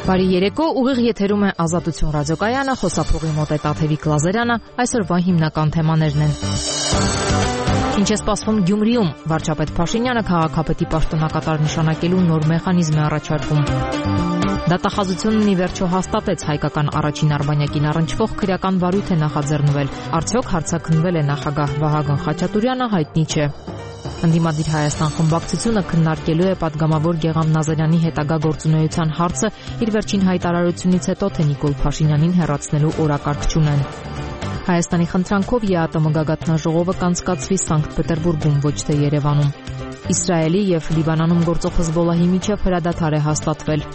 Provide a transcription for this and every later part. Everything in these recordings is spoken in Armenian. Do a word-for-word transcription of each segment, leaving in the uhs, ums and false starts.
Բարի երեկո, ուղիղ եթերում է Ազատություն ռադիոկայանը, խոսափողի մոտ է Տաթևիկ Լազարյանը, այսօրվա հիմնական թեմաներն են։ Ինչ է սպասվում Գյումրիում, վարչապետ Փաշինյանը քաղաքապետի պաշտոնակատար նշանակելու նոր մեխանիզմ է առաջարկում։ Դատախազությունն ի վերջո հաստատեց հայկական առաջին արբանյակին առնչվող քրեական վարույթ է նախաձեռնվել, արդյոք հարցաքննվել է նախագահ Վահագն Խաչատուրյանը, հայտնի չէ։ Ընդդիմադիր Հայաստան խմբակցությունը քննարկելու է պատգամավոր Գեգամ Նազարյանի հետագա գործունեության հարցը իր վերջին հայտարարությունից հետո, թե Նիկոլ Փաշինյանին հեռացնելու օրակարգ չունեն։ Հայաստանի խնդրանքով ԵԱՏՄ գագաթնաժողովը կանցկացվի Սանկտ Պետերբուրգում, ոչ թե Երևանում։ Իսրայելի եւ Լիբանանում գործող Հեզբոլլահի միջև հրադադար է հաստատվել։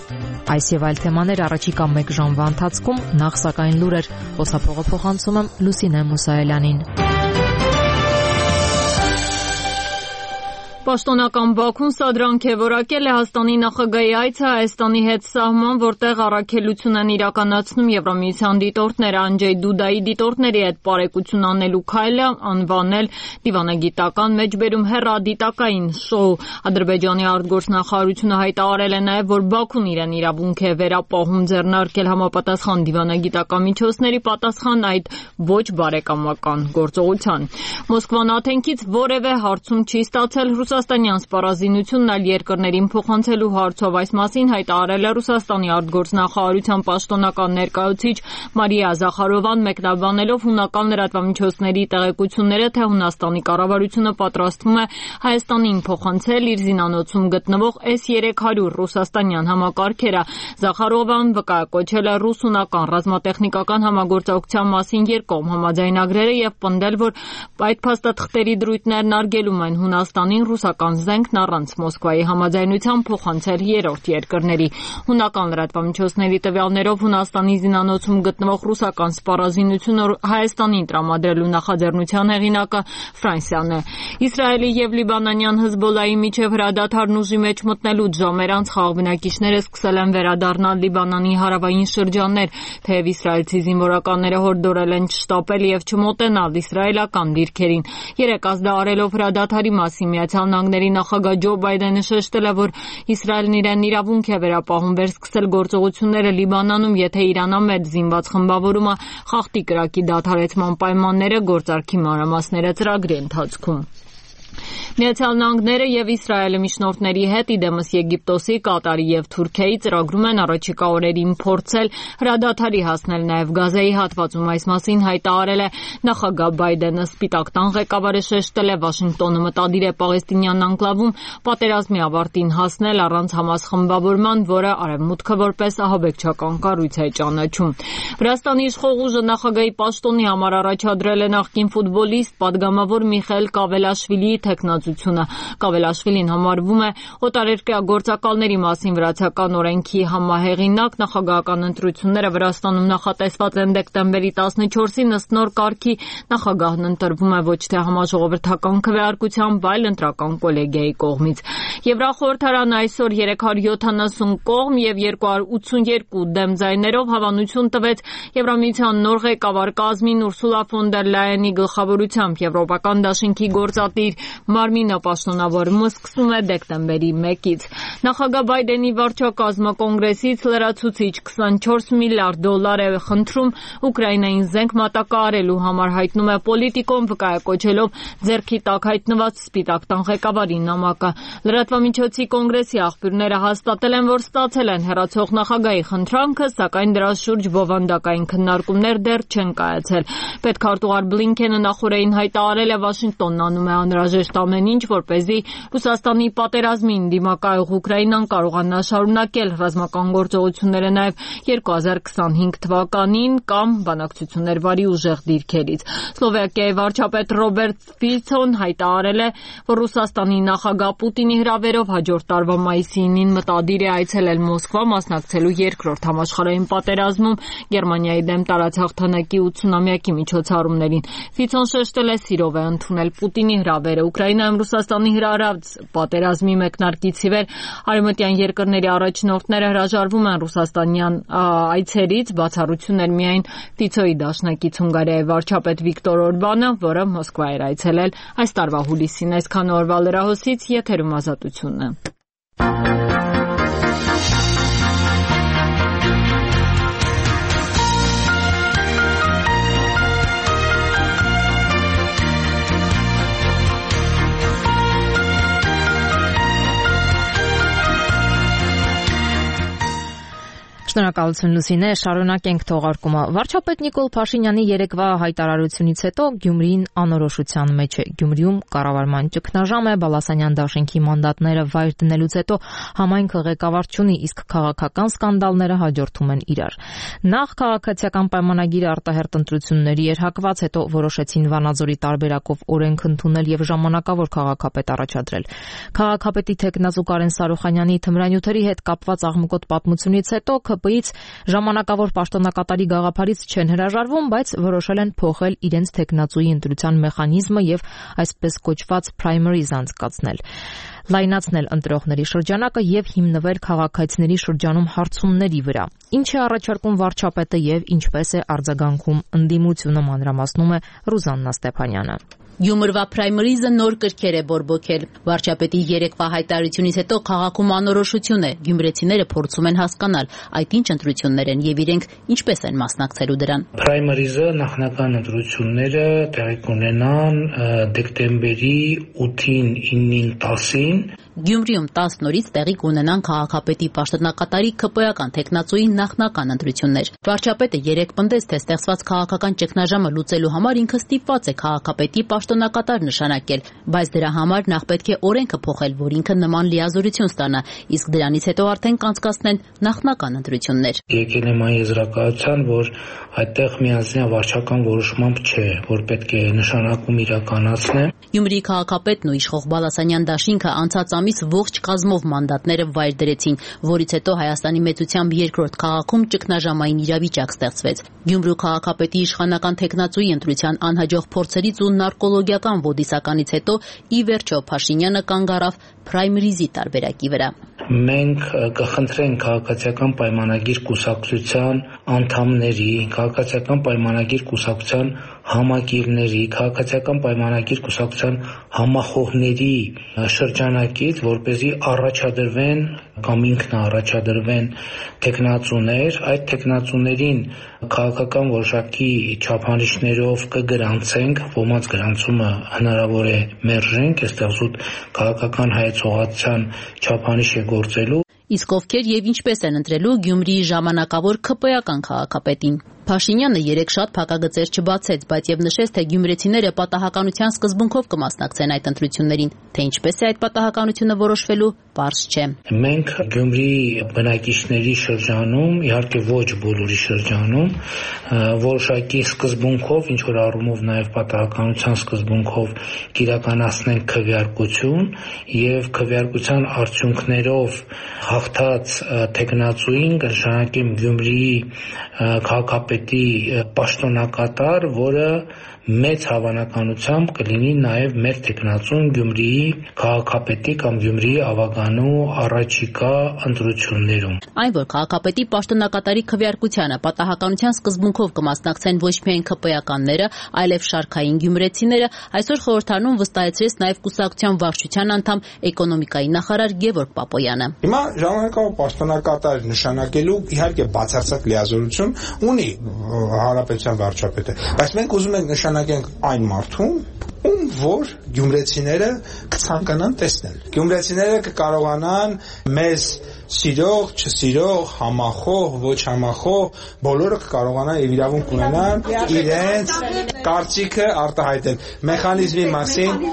Այս եւ այլ թեմաներ առաջիկա մեկ ժամվա ընթացքում, նախ սակայն լուրեր, խոսափողը փոխանցում եմ Լուսինե Մուսայելյանին։ Պաշտոնական Բաքուն սադրանք է որակել Լեհաստանի նախագահի այցը Հայաստանի հետ սահման, որտեղ առաքելություն են իրականացնում Եվրամիության դիտորդները, Անջեյ Դուդայի դիտորդների հետ պարեկություն անելու քայլը անվանել դիվանագիտական մեջբերում հեռադիտակային շոու։ Ադրբեջանի արտգործնախարարությունը հայտարարել է նաև, որ Բաքուն իրեն իրավունք է վերապահում ձեռնարկել համապատասխան դիվանագիտական միջոցների պատասխան այդ ոչ բարեկամական գործողության։ Մոսկվան Աթենքից որևէ հարցում չի ստացել Ռուսաստանյան սպառազինությունն այլ երկրներին փոխանցելու հարցով, այս մասին հայտարարել է Ռուսաստանի արտգործնախարարության պաշտոնական ներկայացուցիչ Մարիա Զախարովան, մեկնաբանելով հունական լրատվամիջոցների տեղեկությունները, թե Հունաստանի կառավարությունը պատրաստվում է Հայաստանին փոխանցել իր զինանոցում գտնվող էս երեք հարյուր ռուսաստանյան համակարգերը։ Զախարովան վկայակոչել է ռուս-հունական ռազմատեխնիկական համագործակցության մասին երկկողմ համաձայնագրերը եւ պնդել, որ այդ փաստաթղթերի դրույթներն արգելում են Հունաստանին ռուսական զենքն առանց Մոսկվայի համաձայնության փոխանցել երրորդ երկրների։ Հունական լրատվամիջոցների տվյալներով Հունաստանի զինանոցում գտնվող ռուսական սպառազինությունը Հայաստանին տրամադրելու նախաձեռնության հեղինակը Ֆրանսիան է։ Իսրայելի եւ լիբանանյան Հեզբոլլահի միջև հրադադարն ուժի մեջ մտնելուց ժամեր անց խաղաղ բնակիչները սկսել են վերադառնալ Լիբանանի հարավային շրջաններ, թեև իսրայելցի զինվորականները հորդորել են չշտապել եւ չմոտենալ իսրայելական դիրքերին։ Երեք ազդարելով հրադադարի մասին Միացյալ Նահանգների նախագահ Ջո Բայդենը շեշտել է, որ Իսրայելն իրեն իրավունք է վերապահում վերսկսել գործողությունները Լիբանանում, եթե Իրանամետ զինված խմբավորումը խախտի կրակի դադարեցման պայմանները գործարքի մանրամասները ծրագրի ընթացքում։ Միացյալ Նահանգները եւ Իսրայելը միջնորդների հետ, իդեմս Եգիպտոսի, Կատարի եւ Թուրքիայի ծրագրում են առաջիկա օրերին փորձել հրադադարի հասնել նաեւ Գազայի հատվածում։ Այս մասին հայտարարել է նախագահ Բայդենը։ Սպիտակ տան ղեկավարը շեշտել է, Վաշինգտոնը մտադիր է Պաղեստինյան անկլավում պատերազմի ավարտին հասնել առանց Համաս խմբավորման, որը Արևմուտքը որպես ահաբեկչական կառույց է ճանաչում։ Վրաստանի իշխող ուժը նախագահի պաշտոնի համար առաջադրել է նախկին ֆուտբոլիստ, падգամավոր Միխայել Կավելաշվիլիի թեկնածությունը։ Կավելաշվիլին համարվում է օտարերկրյա գործակալների մասին վրացական օրենքի համահեղինակ։ Նախագահական ընտրությունները Վրաստանում նախատեսված են դեկտեմբերի տասնչորսին, ըստ նոր կարգի նախագահն ընտրվում է ոչ թե համաժողովրդական քվեարկությամբ, այլ ընտրական կոլեգիայի կողմից։ Եվրախորհրդարանը այսօր երեք հարյուր յոթանասուն կողմ եւ երկու հարյուր ութսունյերկու դեմ ձայներով հավանություն տվեց Եվրամիության նոր ղեկավար կազմին Ուրսուլա ֆոն դեր Լայենի գլխավորությամբ։ Եվրոպական դաշինքի գործադիր Մարմինը պաշտոնավորումը սկսում է դեկտեմբերի մեկից։ Նախագահ Բայդենի վարչակազմը կոնգրեսից լրացուցիչ քսանչորս միլիարդ դոլար է խնդրում Ուկրաինային զենք մատակարարելու համար, հայտնում է Պոլիտիկոն, վկայակոչելով ձեռքի տակ հայտնված Սպիտակ տան ղեկավարի նամակը։ Լրատվամիջոցի կոնգրեսի աղբյուրները հաստատել են, որ ստացել են հեռացող նախագահի խնդրանքը, սակայն դրա շուրջ բովանդակային քննարկումներ դեռ չեն կայացել։ Պետքարտուղար Բլինքենը նախորդին հայտարարել է, Վաշինգտոնն անում է անհրաժեշտ ամեն ինչ, որպեսզի Ռուսաստանի պատերազմին դիմակայող Ուկրաինան կարողանա շարունակել ռազմական գործողությունները նաև երկու հազար քսանհինգ թվականին կամ բանակցություններ վարի ուժեղ դիրքերից։ Սլովակիայի վարչապետ Ռոբերտ Ֆիցոն հայտարարել է, որ Ռուսաստանի նախագահ Պուտինի հրավերով հաջորդ տարվա մայիսին մտադիր է այցելել Մոսկվա, մասնակցելու երկրորդ համաշխարհային պատերազմում Գերմանիայի դեմ տարածահաղթանակի ութսունամյակի միջոցառումներին։ Ֆիցոն շեշտել է, սիրով է ընդունել Պուտինի հրավերը։ Ուկրաինայում Ռուսաստանի հրահրած պատերազմի մեկնարկից ի վեր արևմտյան երկրների առաջնորդները հրաժարվում են ռուսաստանյան այցերից, բացառություններ միայն Ֆիցոյի դաշնակից Հունգարիայի վարչապետ Վիկտոր Օրբանը, որը Մոսկվա էր այցելել այս տարվա հուլիսին։ Այսքան օրվա լրահոսից եթերում Ազատությունն է։ Շնորհակալություն Լուսինե, շարունակենք թողարկումը։ Վարչապետ Նիկոլ Փաշինյանի երեկվա հայտարարությունից հետո Գյումրին անորոշության մեջ է։ Գյումրիում կառավարման ճգնաժամ է, Բալասանյան դաշինքի մանդատները վայր դնելուց հետո համայնքը ղեկավար չունի, իսկ քաղաքական սկանդալները հաջորդում են իրար։ Նախ քաղաքացիական պայմանագիրը արտահերտ ընտրությունների էր հակված, հետո որոշեցին Վանաձորի տարբերակով օրենք ընդունել եւ ժամանակավոր քաղաքապետ առաջադրել։ Քաղաքապետի թեկնածու Կարեն Սարոխանյանի թմրանյութերի հետ կապված աղմկոտ պատմությունից հետո ՔՊ-ից ժամանակավոր պաշտոնակատարի գաղափարից չեն հրաժարվում, բայց որոշել են փոխել իրենց թեկնածուի ընտրության մեխանիզմը եւ այսպես կոչված primaries անցկացնել, լայնացնել ընտրողների շրջանակը եւ հիմնվել քաղաքացիների շրջանում հարցումների վրա։ Ինչ է առաջարկում վարչապետը եւ ինչպես է արձագանքում ընդդիմությունը, մանրամասնում է Ռուզաննա Ստեփանյանը։ Գյումրվա պրայմերիզը նոր կրքեր է բորբոքել։ Վարչապետի երեկվա հայտարարությունից հետո քաղաքում անորոշություն է։ Գյումրեցիները փորձում են հասկանալ, այդ ինչ ընտրություններ են եւ իրենք ինչպես են մասնակցելու դրան։ Պրայմերիզը նախնական ընտրությունները տեղի կունենան դեկտեմբերի ութին, իննին, տասին։ Գյումրիում տաս նորից տեղի կունենան քաղաքապետի պաշտոնակատարի ՔՊ-ական թեկնածուի նախնական ընտրություններ։ Վարչապետը երեկ պնդեց, թե ստեղծված քաղաքական ճգնաժամը լուծելու համար ինքը ստիպված է քաղաքապետի պաշտոնակատար նշանակել, բայց դրա համար նախ պետք է օրենքը փոխել, որ ինքը նման լիազորություն ստանա, իսկ դրանից հետո արդեն կանցկացնեն նախնական ընտրություններ։ Եկել եմ այն եզրակացության, որ այդտեղ միանձնյա վարչական որոշմամբ չէ, որ պետք է նշանակում իրականացնեն։ Գյումրիի քաղաքապետն ու իշխող Բալասանյան դաշինքը անցած ամիս ողջ կազմով մանդատները վայր դրեցին, որից հետո Հայաստանի մեծությամբ երկրորդ քաղաքում ճգնաժամային իրավիճակ ստեղծվեց։ Գյումրու քաղաքապետի իշխանական թեկնածուի ընտրության անհաջող փորձերից ու նարկոլոգիական ոդիսականից հետո ի վերջո Փաշինյանը կանգ առավ պրայմերիզի տարբերակի վրա։ Մենք կխնդրենք քաղաքացիական պայմանագիր կուսակցության անդամների, քաղաքացիական պայմանագիր կուսակցության համակիրների, քաղաքացիական պայմանագիր կուսակցության համախոհների շրջանակից, որպեսզի առաջադրվեն կամ ինքնաառաջադրվեն թեկնածուներ, այդ թեկնածուներին քաղաքական որոշակի չափանիշներով կգրանցենք, ոմանց գրանցումը հնարավոր է մերժենք, այստեղ զուտ քաղաքական հայեցողացության չափանիշ է գործելու։ Իսկ ովքեր եւ ինչպես են ընտրելու Գյումրիի ժամանակավոր ՔՊ-ական քաղաքապետին։ Փաշինյանը երեք շատ փակագծեր չբացեց, բայց եւ նշեց, թե գյումրեցիները պատահականության սկզբունքով կմասնակցեն այդ ընտրություններին, թե ինչպես է այդ պատահականությունը որոշվելու, պարզ չէ։ Մենք Գյումրիի բնակիչների շրջանում, իհարկե ոչ բոլորի շրջանում, որոշակի սկզբունքով, ինչ որ առումով նաեւ պատահականության սկզբունքով կիրականացնենք քվեարկություն եւ քվեարկության արդյունքներով հաղթած թեկնածուին կնշանակեմ Գյումրիի քաղաքապետի պաշտոնակատար, որը մեծ հավանականությամբ կլինի նաև մեր թեկնածուն Գյումրիի քաղաքապետի կամ Գյումրիի ավագանու առաջիկա ընտրություններում։ Այն, որ քաղաքապետի պաշտոնակատարի քվեարկությանը պատահականության սկզբունքով կմասնակցեն ոչ միայն ՔՊ-ականները, այլև շարքային գյումրեցիները, այսօր խորհրդարանում վստահեցրեց նաև կուսակցության վարչության անդամ էկոնոմիկայի նախարար Գևորգ Պապոյանը։ Հիմա ժամանակավոր պաշտոնակատար նշանակելու իհարկե բացարձակ լիազորություն ունի հանրապետության վարչապետը, բայց մենք ուզում ենք նշանակենք այն մարդուն, ում որ գյումրեցիները կցանկանան տեսնել։ Գյումրեցիները կկարողանան մեզ սիրող, չսիրող, համախոհ, ոչ համախոհ, բոլորը կկարողանան եւ իրավունք ունենան իրենց կարծիքը արտահայտել։ Մեխանիզմի մասին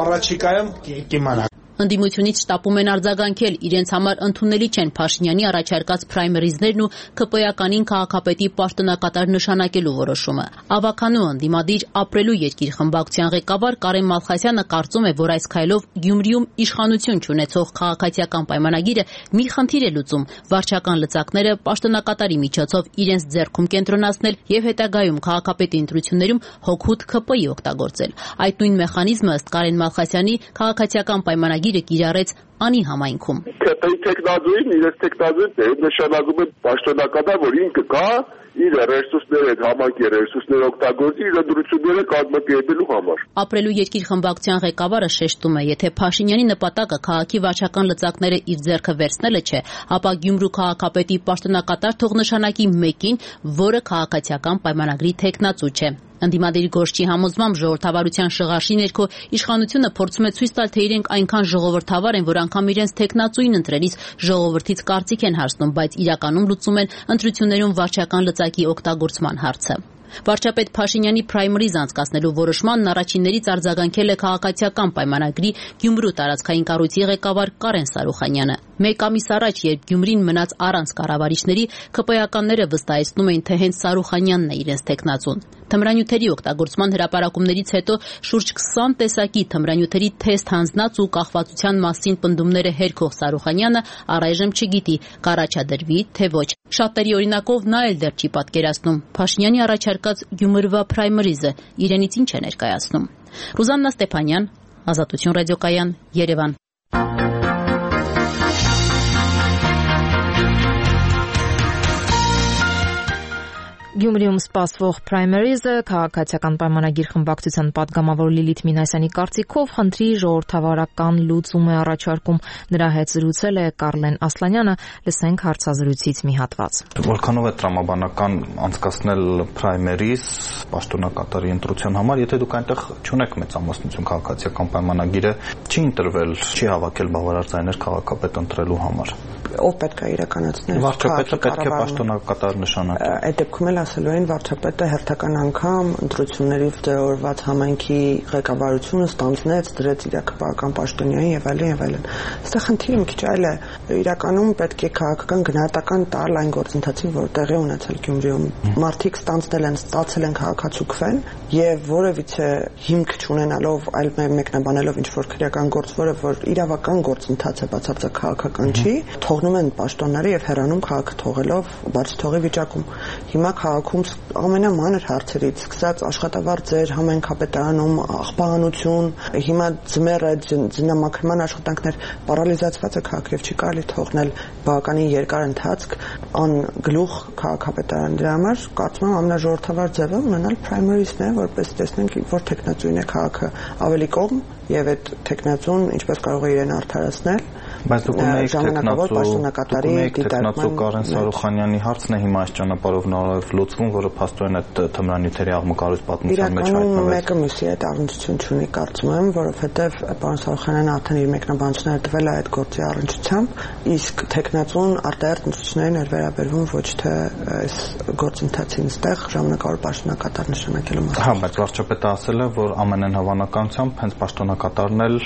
առաջիկայում կիմանանք։ Ընդդիմությունից շտապում են արձագանքել, իրենց համար ընդունելի չեն Փաշինյանի առաջարկած պրայմերիզներն ու ՔՊ-ականին քաղաքապետի պաշտոնակատար նշանակելու որոշումը։ Ավականու ընդդիմադիր ապրելու երկիր խմբակցության ղեկավար Կարեն Մալխասյանը կարծում է, որ այս քայլով Գյումրիում իշխանություն չունեցող քաղաքացիական պայմանագիրը մի խնդիր է լուծում՝ վարչական լծակները պաշտոնակատարի միջոցով իրենց ձեռքում կենտրոնացնել եւ հետագայում քաղաքապետի ընտրություններում հօգուտ ՔՊ-ի օգտագործել։ Այդ նույն մեխանիզմը ըստ Կարեն Մալխասյանի քաղաքացիական պայմանագիրը կիրառեց անի համայնքում։ ՔՊ-ի տեխնազույն իրենց տեխնազույն նշանակում է պաշտոնակատար, որ ինքը կա իր ռեսուրսները, այդ համայնքի ռեսուրսները օգտագործի իր ընտրությունները կազմակերպելու համար։ Ապրելու երկիր խմբակցության ղեկավարը շեշտում է, եթե Փաշինյանի նպատակը քաղաքի վարչական լծակները իր ձեռքը վերցնելը չէ, ապա Գյումրու քաղաքապետի պաշտոնակատար թող նշանակի մեկին, որը քաղաքացիական պայմանագրի թեկնածու չէ։ Ընդդիմադիր գործչի համոզմամբ ժողովրդավարության շղարշի ներքո իշխանությունը փորձում է ցույց տալ, թե իրենք այնքան ժողովրդավար են, որ անգամ իրենց տեխնացուին ընտրելիս ժողովրդից կարծիք են հարցնում, բայց իրականում լուծում են ընտրություններում վարչական լծակի օգտագործման հարցը։ Վարչապետ Փաշինյանի պրայմերիզ անցկացնելու որոշմանն առաջիններից արձագանքել է քաղաքացիական պայմանագրի Գյումրու տարածքային կառույցի ղեկավար Կարեն Սարուխանյանը։ Մեկ ամիս առաջ, երբ Գյումրին մնաց առանց կառավարիչների, ԿՊ-ականները վստահեցնում էին, թե հենց Սարուխանյանն է իրենց տեխնացուն։ Թմրանյութերի օգտագործման հրապարակումներից հետո շուրջ քսան տեսակի թմրանյութերի թեստ հանձնած ու կախվածության մասին պնդումները հերքող Սարուխանյանը առայժմ չգիտի կառաջադրվի, թե ոչ։ Շատերի օրինակով նա էլ դեռ չի պատկերացնում Փաշինյանի առաջարկած Գյումրվա պրայմերիզը իրենից ինչ է ներկայացնում։ Ռուզաննա Ստեփանյան, Ազատություն ռադիոկայան, Երևան։ Գյումրիում սպասվող պրայմերիզը քաղաքացիական պայմանագիր խմբակցության պատգամավոր Լիլիթ Մինասյանի կարծիքով խնդրի ժողովրդավարական լուծում է առաջարկում։ Նրա հետ զրուցել է Կարլեն Ասլանյանը, լսենք հարցազրույցից մի հատված։ Որքանով է տրամաբանական անցկացնել պրայմերիզ պաշտոնակատարի ընտրության համար, եթե դուք այնտեղ չունեք մեծամասնություն քաղաքացիական պայմանագիրը, չի ընտրվել, չի հավաքել բավարար ձայներ քաղաքապետ ընտրելու համար։ Ով պետք է իրականացնել։ Վարչապետը պետք է պաշտոնակատար նշանակի։ Այդ դեպքում էլ ասելու են վարչապետը հերթական անգամ ընտրությունների ձևավորված համայնքի ղեկավարությունը ստանձնեց, դրեց իր քպական պաշտոնյային եւ այլն եւ այլն։ Այստեղ խնդիրը մի քիչ այլ է։ Իրականում պետք է քաղաքական գնահատական տալ այն գործընթացին, որ տեղի ունեցել Գյումրիում։ Մարդիկ ստանձնել են, ստացել են քաղաքացուկվեն եւ որևիցե հիմք չունենալով, այլ մեկնաբանելով ինչ որ քրեական գործ, որը որ իրավական գործընթաց է, բացարձակ քաղաքական չի, թողնում են պաշտոնները եւ հեռանում քաղաքը թողելով բաց թողի վիճակում։ Հիմա քաղաքում ամենամանր հարցերից սկսած աշխատավարձեր, համայնքապետարանում աղբահանություն, հիմա ձմեռը ձնամաքրման աշխատանքներ, պարալիզացված է քաղաքը եւ չի կարելի թողնել բավականին երկար ընթացք ան գլուխ քաղաքապետարան։ Դրա համար կարծում եմ ամենաժողովրդավար ձևը ունենալ պրայմերիզն է, որպես տեսնենք որ տեխնացուին է քաղաքը ավելի կողմ եւ այդ տեխնացուն ինչպես կարող է իրեն արդարացնել։ Բայց դուք ունեիք տեխնացու Կարեն Սարուխանյանի հարցն է հիմա այս ճանապարհով նորով լուծվում, որը փաստորեն այդ թմրանյութերի աղմկարույց պատմության մեջ հայտնվեց։ Իրականում մեկը մյուսի հետ առնչություն չունի, կարծում եմ, որովհետև պարոն Սարուխանյանը արդեն իր մեկնաբանությունները տվել է այդ գործի առնչությամբ, իսկ տեխնացուն արտահերթ ընտրություններին էր վերաբերվում ոչ թե այս գործընթացին ստեղ ժամանակավոր պաշտոնակատար նշանակելու մասին։ Հա, բայց վարչապետը ասել է, որ ամենայն հավանականությամբ հենց պաշտոնակատարն էլ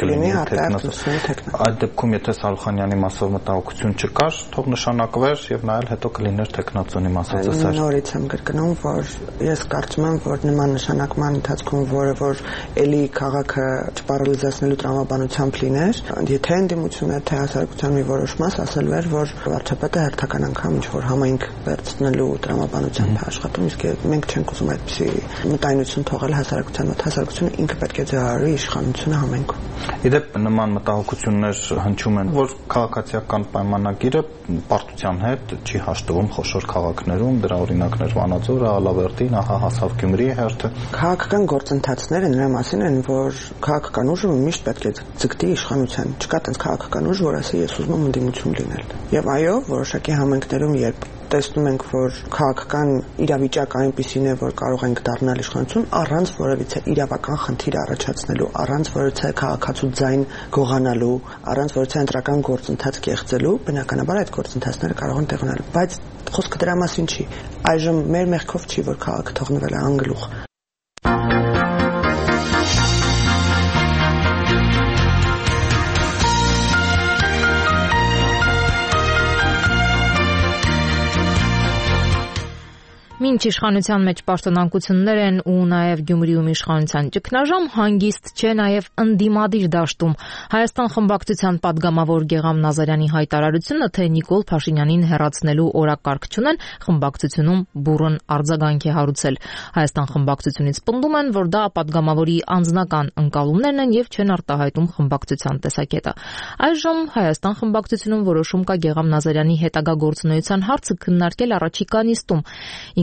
կլինի արտահերթ ընտրությունների Այդ դեպքում եթե Սարուխանյանի մասով մտահոգություն չկար, թող նշանակվեր եւ նայել հետո կլիներ տեխնացոնի մասով ծեսեր։ Նորից եմ կրկնում, որ ես կարծում եմ, որ նման նշանակման ընթացքում որը որ էլի քաղաքը չպարալիզացնելու տրամաբանությամբ լիներ, եթե ընդդիմությունը թե հասարակության մի որոշ մաս ասել էր, որ վարչապետը հերթական անգամ ինչ որ համայնք վերցնելու տրամաբանությամբ է աշխատում, իսկ մենք չենք ուզում այդպիսի մտայնություն թողել հասարակության մոտ։ Հասարակությունը ինքը պետք է ձեռարի իշխանությունը համայնքում։ Իդեպ նման մտահոգություններ հնչում են, որ քաղաքացիական պայմանագիրը պարտության հետ չի հաշտվում խոշոր քաղաքներում, դրա օրինակներ Վանաձորը, Ալավերդին, ահա հասավ Գյումրիի հերթը։ Քաղաքական գործընթացները նրա մասին են, որ քաղաքական ուժը միշտ պետք է ձգտի իշխանության։ Չկա տենց քաղաքական ուժ, որ ասի ես ուզում եմ ընդդիմություն լինել։ Եվ այո, որոշակի համայնքներում երբ տեսնում ենք, որ քաղաքական իրավիճակ այնպիսին է, որ կարող ենք դառնալ իշխանություն առանց որևիցե իրավական խնդիր առաջացնելու, առանց որևիցե քաղաքացու ձայն գողանալու, առանց որևիցե ընտրական գործընթաց կեղծելու, բնականաբար այդ գործընթացները կարող են տեղ ունենալ, բայց խոսքը դրա մասին չի։ Այժմ մեր մեղքով չի, որ քաղաքը թողնվել է անգլուխ։ Մինչ իշխանության մեջ պաշտոնանկություններ են ու նաև Գյումրիում իշխանության ճգնաժամ, հանգիստ չէ նաև ընդդիմադիր դաշտում։ Հայաստան խմբակցության պատգամավոր Գեգամ Նազարյանի հայտարարությունը, թե Նիկոլ Փաշինյանին հեռացնելու օրակարգ չունեն, խմբակցությունում բուռն արձագանք է հարուցել։ Հայաստան խմբակցությունից պնդում են, որ դա պատգամավորի անձնական ընկալումներն են եւ չեն արտահայտում խմբակցության տեսակետը։ Այժմ Հայաստան խմբակցությունում որոշում կա Գեգամ Նազարյանի հետագա գործունեության հարցը քննարկել առաջիկա նիստում։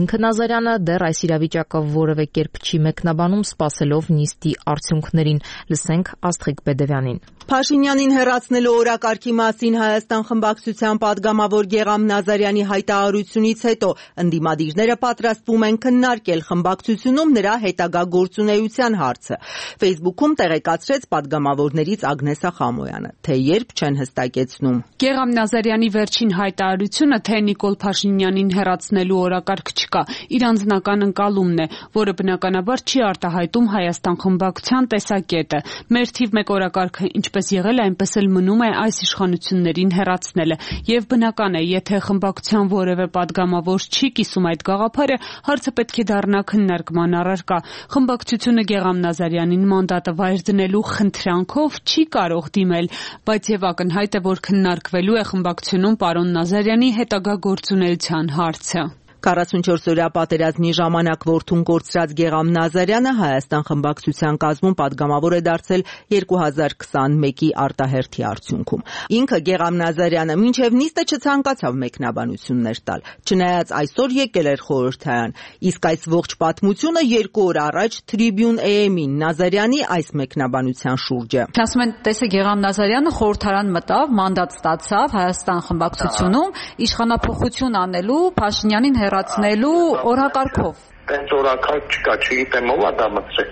Ինքը Ինքը Նազարյանը դեռ այս իրավիճակը որևէ կերպ չի մեկնաբանում, սպասելով նիստի արդյունքներին։ Լսենք Աստղիկ Բեդևյանին։ Փաշինյանին հեռացնելու օրակարգի մասին Հայաստան խմբակցության падգամավոր Գեղամ Նազարյանի հայտարարությունից հետո ընդդիմադիրները պատրաստվում են քննարկել խմբակցությունում նրա հետագա գործունեության հարցը։ Facebook-ում տեղեկացրեց падգամավորներից Ագնեսա Խամոյանը, թե երբ չեն հստակեցնում։ Գեղամ Նազարյանի վերջին հայտարարությունը, թե Նիկոլ Փաշինյանին հեռացնելու օրակարգ չկա, իր անձնական ընկալումն է, որը բնականաբար չի արտահայտում Հայաստան խմբակցության տեսակետը։ Մեր թիվ մեկ օրակարգը ինչպես եղել է, այնպես էլ մնում է այս իշխանություններին հեռացնելը, եւ բնական է, եթե խմբակցության որևէ падգամավոր չի կիսում այդ գաղափարը, հարցը պետք է դառնա քննարկման առարկա։ Խմբակցությունը Գեղամ Նազարյանին մանդատը վայր դնելու խնդրանքով չի կարող դիմել, բայց եւ ակնհայտ է, որ քննարկվելու է խմբակցությունում պարոն Նազարյանի հետագա գործունեության հարցը։ քառասունչորս-օրյա պատերազմի ժամանակ որդուն կորցրած Գեղամ Նազարյանը Հայաստան խմբակցության կազմում падգամավոր է դարձել երկու հազար քսաներկու արտահերթի արդյունքում։ Ինքը Գեղամ Նազարյանը մինչև նիստը չցանկացավ մեկնաբանություններ տալ, չնայած այսօր եկել էր խորհրդարան, իսկ այս ողջ պատմությունը երկու օր առաջ Tribune A M-ին Նազարյանի այս մեկնաբանության շուրջ է։ Ասում են, տեսեք, Գեղամ Նազարյանը խորհրդարան մտավ, մանդատ ստացավ Հայաստան խմբակցությունում իշխանափոխություն անելու, Փաշինյանին հեռացնելու օրակարգով։ Տենց օրակարգ չկա, չգիտեմ ով է դա մտցրել։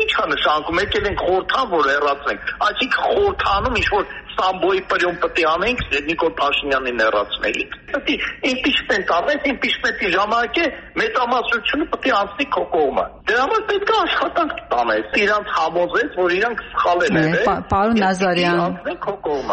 Ինչ է նշանակում, եկել ենք խորհրդան, որ հեռացնենք, այսինքն խորհրդանում ինչ-որ Սամբոյի պրյոմ պետք է անենք Նիկոլ Փաշինյանին հեռացնելիք։ Պետք է impeachment անենք, impeachment-ի ժամանակ է մեծամասնությունը պետք է անցնի քո կողմը։ Դրա համար պետք է աշխատանք տանես։ Իրանց համոզես, որ իրանք սխալել են։ Պարոն Նազարյան։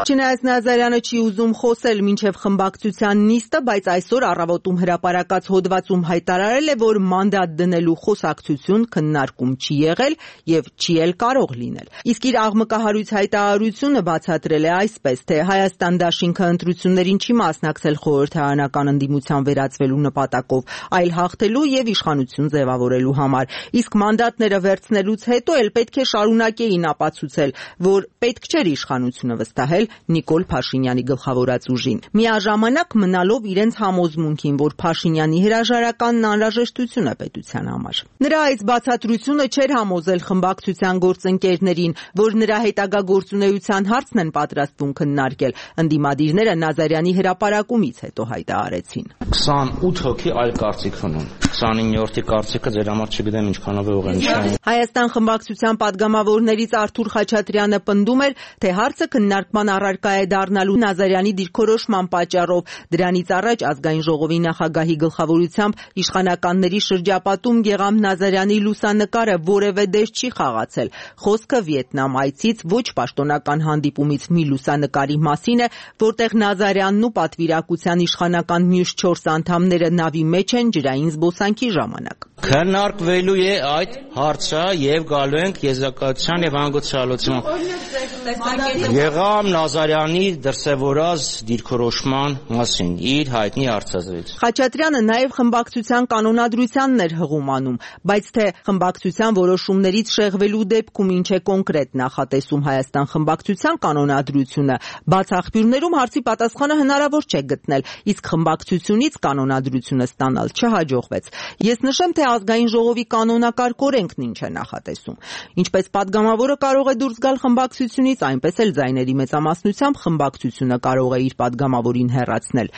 Չնայած Նազարյանը չի ուզում խոսել մինչև խմբակցության նիստը, բայց այսօր առավոտում հրապարակած հոդվածում հայտարարել է, որ մանդատ դնելու խոսակցություն քննարկում չի եղել եւ չի էլ կարող լինել։ Իսկ իր աղմկահարույց հայտարարությունը բացատրել է այսպես, թե Հայաստան դաշինքը ընտրություններին չի մասնակցել խորհրդարանական ընդդիմության վերածվելու նպատակով, այլ հաղթելու եւ իշխանություն ձևավորելու համար։ Իսկ մանդատները վերցնելուց հետո էլ պետք է շարունակեին ապացուցել, որ պետք չէր իշխանությունը վստահել Նիկոլ Փաշինյանի գլխավորած ուժին, միաժամանակ մնալով իրենց համոզմունքին, որ Փաշինյանի հրաժարականն անհրաժեշտություն է պետության համար։ Նրա այս բացատրությունը չէր համոզել խմբակցության գործընկերներին, որ նրա հետագա գործունեության հարցն են պատրաստվում քննարկել։ Ընդդիմադիրները Նազարյանի հրապարակումից հետո հայտարարեցին։ քսանութ հոգի այլ կարծիք ունեն։ քսանիններորդի կարծիքը ձեր համար չգիտեմ ինչքանով է ուղղակի։ Հայաստան խմբակցության падգամավորներից Արթուր Խաչատրյանը պնդում էր, թե հարցը քննարկման առարկա է դառնալու Նազարյանի դիրքորոշման պատճառով։ Դրանից առաջ ազգային ժողովի նախագահի գլխավորությամբ իշխանականների շրջապատում Գեղամ Նազարյանի լուսանկարը որևէ դեր չի խաղացել։ Խոսքը Վիետնամ այցից ոչ պաշտոնական հանդիպումից մի լուսանկարի մասին է, որտեղ Նազարյանն ու պատվիրակության իշխանական մյուս չորս անդամները նավի մեջ են ջրային զբոսանքի ժամանակ։ Քննարկվելու է այդ հարցը եւ գալու ենք եզրակացության եւ անգուցալության։ Գեղամ Նազարյանի դրսևորած դիրքորոշման մասին իր հայտնի հարցազրույց։ Խաչատրյանը նաեւ խմբակցության կանոնադրությանն էր հղում անում, բայց թե խմբակցության որոշումներից շեղվելու դեպքում ինչ է կոնկրետ նախատեսում Հայաստան խմբակցության կանոնադրությունը, բաց աղբյուրներում հարցի պատասխանը հնարավոր չէ գտնել, իսկ խմբակցությունից կանոնադրությունը ստանալ չհաջողվեց։ Ես նշեմ, թե ազգային ժողովի կանոնակարգ օրենքն ինչ է նախատեսում։ Ինչպես падգամավորը կարող է դուրս գալ խմբակցությունից, այնպես էլ ձայների մեծամասնությամբ խմբակցությունը կարող է իր падգամավորին հեռացնել։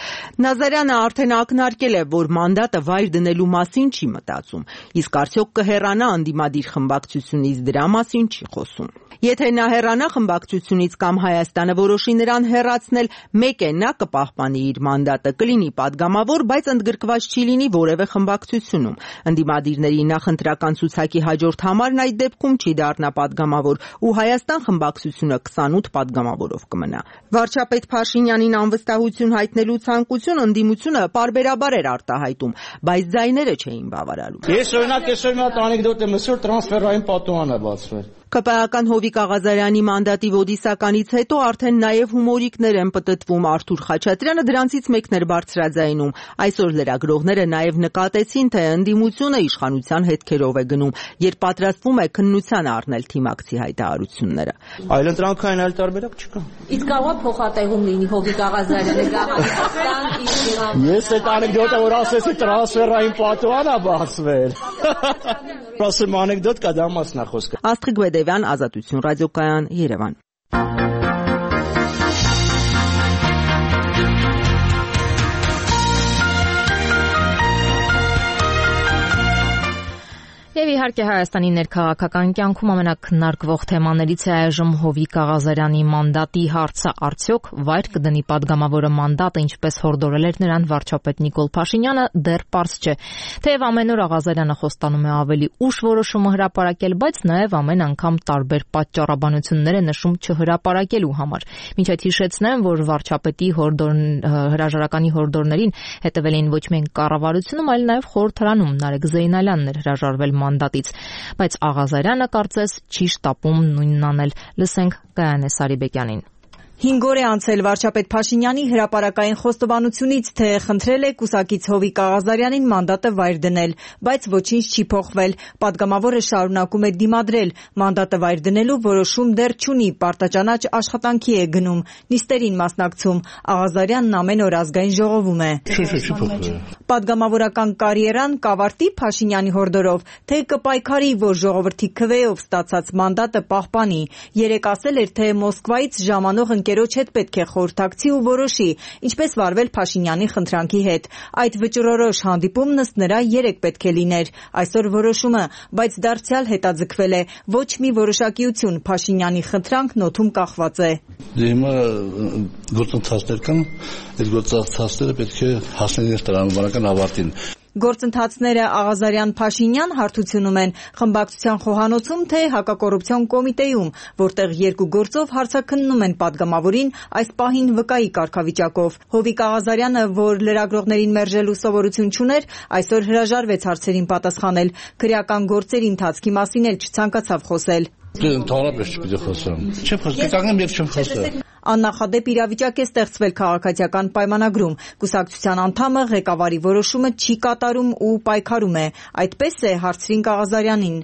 Նազարյանը արդեն ակնարկել է, որ մանդատը վայր դնելու մասին չի մտածում, իսկ արդյոք կհեռանա ընդդիմադիր խմբակցությունից, դրա մասին չի խոսում։ Եթե նա հեռանա խմբակցությունից կամ Հայաստանը որոշի նրան հեռացնել, մեկ է նա կպահպանի իր մանդատը, կլինի падգամավոր, բայց ընդգրկված չի լինի որևէ խմբակցությունում։ Ընդդիմադիրների նախընտրական ցուցակի հաջորդ համարն այդ դեպքում չի դառնա падգամավոր, ու Հայաստան խմբակցությունը քսանութ падգամավորով կմնա։ Վարչապետ Փաշինյանին անվստահություն հայտնելու ցանկություն ընդդիմությունը պարբերաբար էր արտահայտում, բայց ձայները չէին բավարարում։ Ես օրինակ այսօր մի հատ անեկդոտ եմ ասել, տրանսֆերային պատուհան է բացվել։ ԿՊԱ-ական Հովիկ Աղազարյանի մանդատի ոդիսականից հետո արդեն նաև հումորիկներ են պտտվում Արթուր Խաչատրյանը դրանցից մեկն էր բարձրաձայնում։ Այսօր լրագրողները նաև նկատեցին, թե ընդդիմությունը իշխանության հետքերով է գնում, երբ պատրաստվում է քննության առնել թիմակցի հայտարարությունները։ Այլընտրանքային այլ տարբերակ չկա։ Իսկ կարող է փոխատեղում լինի Հովիկ Աղազարյանը գաղափարական իսկ Ես այդ անեկդոտը որ ասեցի տրանսֆերային պատուհան է բացվել։ Ասեմ անեկդոտ կա դա մասնախոսք։ Աստղիկ Բեդևյան, Ազատություն ռադիոկայան, Երևան։ Եվ իհարկե Հայաստանի ներքաղաքական կյանքում ամենաքննարկվող թեմաներից է այժմ Հովիկ Աղազարյանի մանդատի հարցը, արդյոք վայր կդնի падգամավորը մանդատը, ինչպես հորդորել էր նրան վարչապետ Նիկոլ Փաշինյանը, դեռ պարզ չէ։ Թեև ամեն օր Աղազարյանը խոստանում է ավելի ուշ որոշումը հրապարակել, բայց նաև ամեն անգամ տարբեր պատճառաբանություններ է նշում չհրապարակելու համար։ Մինչև հիշեցնեմ, որ վարչապետի հորդոր հրաժարականի հորդորներին հետևել էին ոչ միայն կառավարությունում, այլ նաև խորհրդարանում Նարեկ Զեյնալյանն էր հրաժարվել մանդատից, բայց Աղազարյանը կարծես չի շտապում նույնն անել։ Լսենք Գայանե Սարիբեկյանին։ Հինգ օր է անցել վարչապետ Փաշինյանի հրապարակային խոստովանությունից, թե խնդրել է կուսակից Հովիկ Աղազարյանին մանդատը վայր դնել, բայց ոչինչ չի փոխվել։ Պատգամավորը շարունակում է դիմադրել, մանդատը վայր դնելու որոշում դեռ չունի, պարտաճանաչ աշխատանքի է գնում, նիստերին մասնակցում։ Աղազարյանն ամեն օր ազգային ժողովում է։ Պատգամավորական կարիերան կավարտի Փաշինյանի հորդորով, թե կպայքարի, որ ժողովրդի քվեով ստացած մանդատը պահպանի։ Երեկ ասել էր, թե Մոսկվայից ժամանող ընկերոջ հետ պետք է խորհրդակցի ու որոշի, ինչպես վարվել Փաշինյանի խնդրանքի հետ։ Այդ վճռորոշ հանդիպումն ըստ նրա երեկ պետք է լիներ, այսօր որոշումը, բայց դարձյալ հետաձգվել է, ոչ մի որոշակիություն, Փաշինյանի խնդրանքն օդում կախված է։ Հիմա գործընթացներ կան, այդ գործընթացները պետք է հասնեն տրամաբանական ավարտին։ Գործընթացները Աղազարյան-Փաշինյան հարթությունում են խմբակցության խոհանոցում, թե հակակոռուպցիոն կոմիտեում, որտեղ երկու գործով հարցաքննում են падգամավորին այս պահին վկայի կարգավիճակով։ Հովիկ Աղազարյանը, որ լրագրողներին մերժելու սովորություն չուներ, այսօր հրաժարվեց հարցերին պատասխանել։ Քրեական գործերի ընթացքի մասին էլ չցանկացավ խոսել։ Ընդհանրապես չպիտի խոսեմ։ Չեմ խոսում, կանգնեմ եւ չեմ խոսում։ Աննախադեպ իրավիճակ է ստեղծվել քաղաքացիական պայմանագրում։ Կուսակցության անդամը ղեկավարի որոշումը չի կատարում ու պայքարում է։ Այդպես է, հարցրին Աղազարյանին։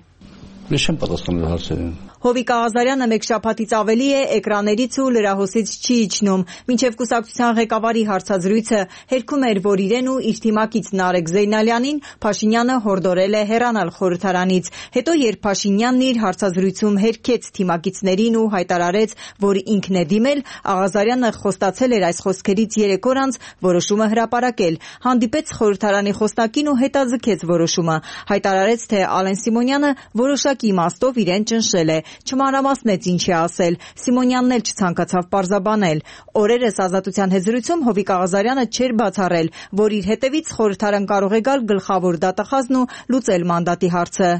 Ես չեմ պատասխանել հարցերին։ Հովիկ Աղազարյանը մեկ շաբաթից ավելի է էկրաններից ու լրահոսից չի իջնում։ Մինչև կուսակցության ղեկավարի հարցազրույցը հերքում էր, որ իրեն ու իր թիմակից Նարեկ Զեյնալյանին Փաշինյանը հորդորել է հեռանալ խորհրդարանից։ Հետո, երբ Փաշինյանն իր հարցազրույցում հերքեց թիմակիցներին ու հայտարարեց, որ ինքն է դիմել, Աղազարյանը խոստացել էր այս խոսքերից երեք օր անց որոշումը հրապարակել։ Հանդիպեց խորհրդարանի խոսնակին ու հետաձգեց որոշումը։ Հայտարարեց, թե Ալեն Սիմոնյանը որոշակի իմաստով իրեն ճնշել է։ Չմանրամասնեց ինչ է ասել։ Սիմոնյանն էլ չցանկացավ պարզաբանել։ Օրերս Ազատության հետ զրույցում Հովիկ Աղազարյանը չէր բացառել, որ իր հետևից խորհրդարան կարող է գալ գլխավոր դատախազն ու լուծել մանդատի հարցը։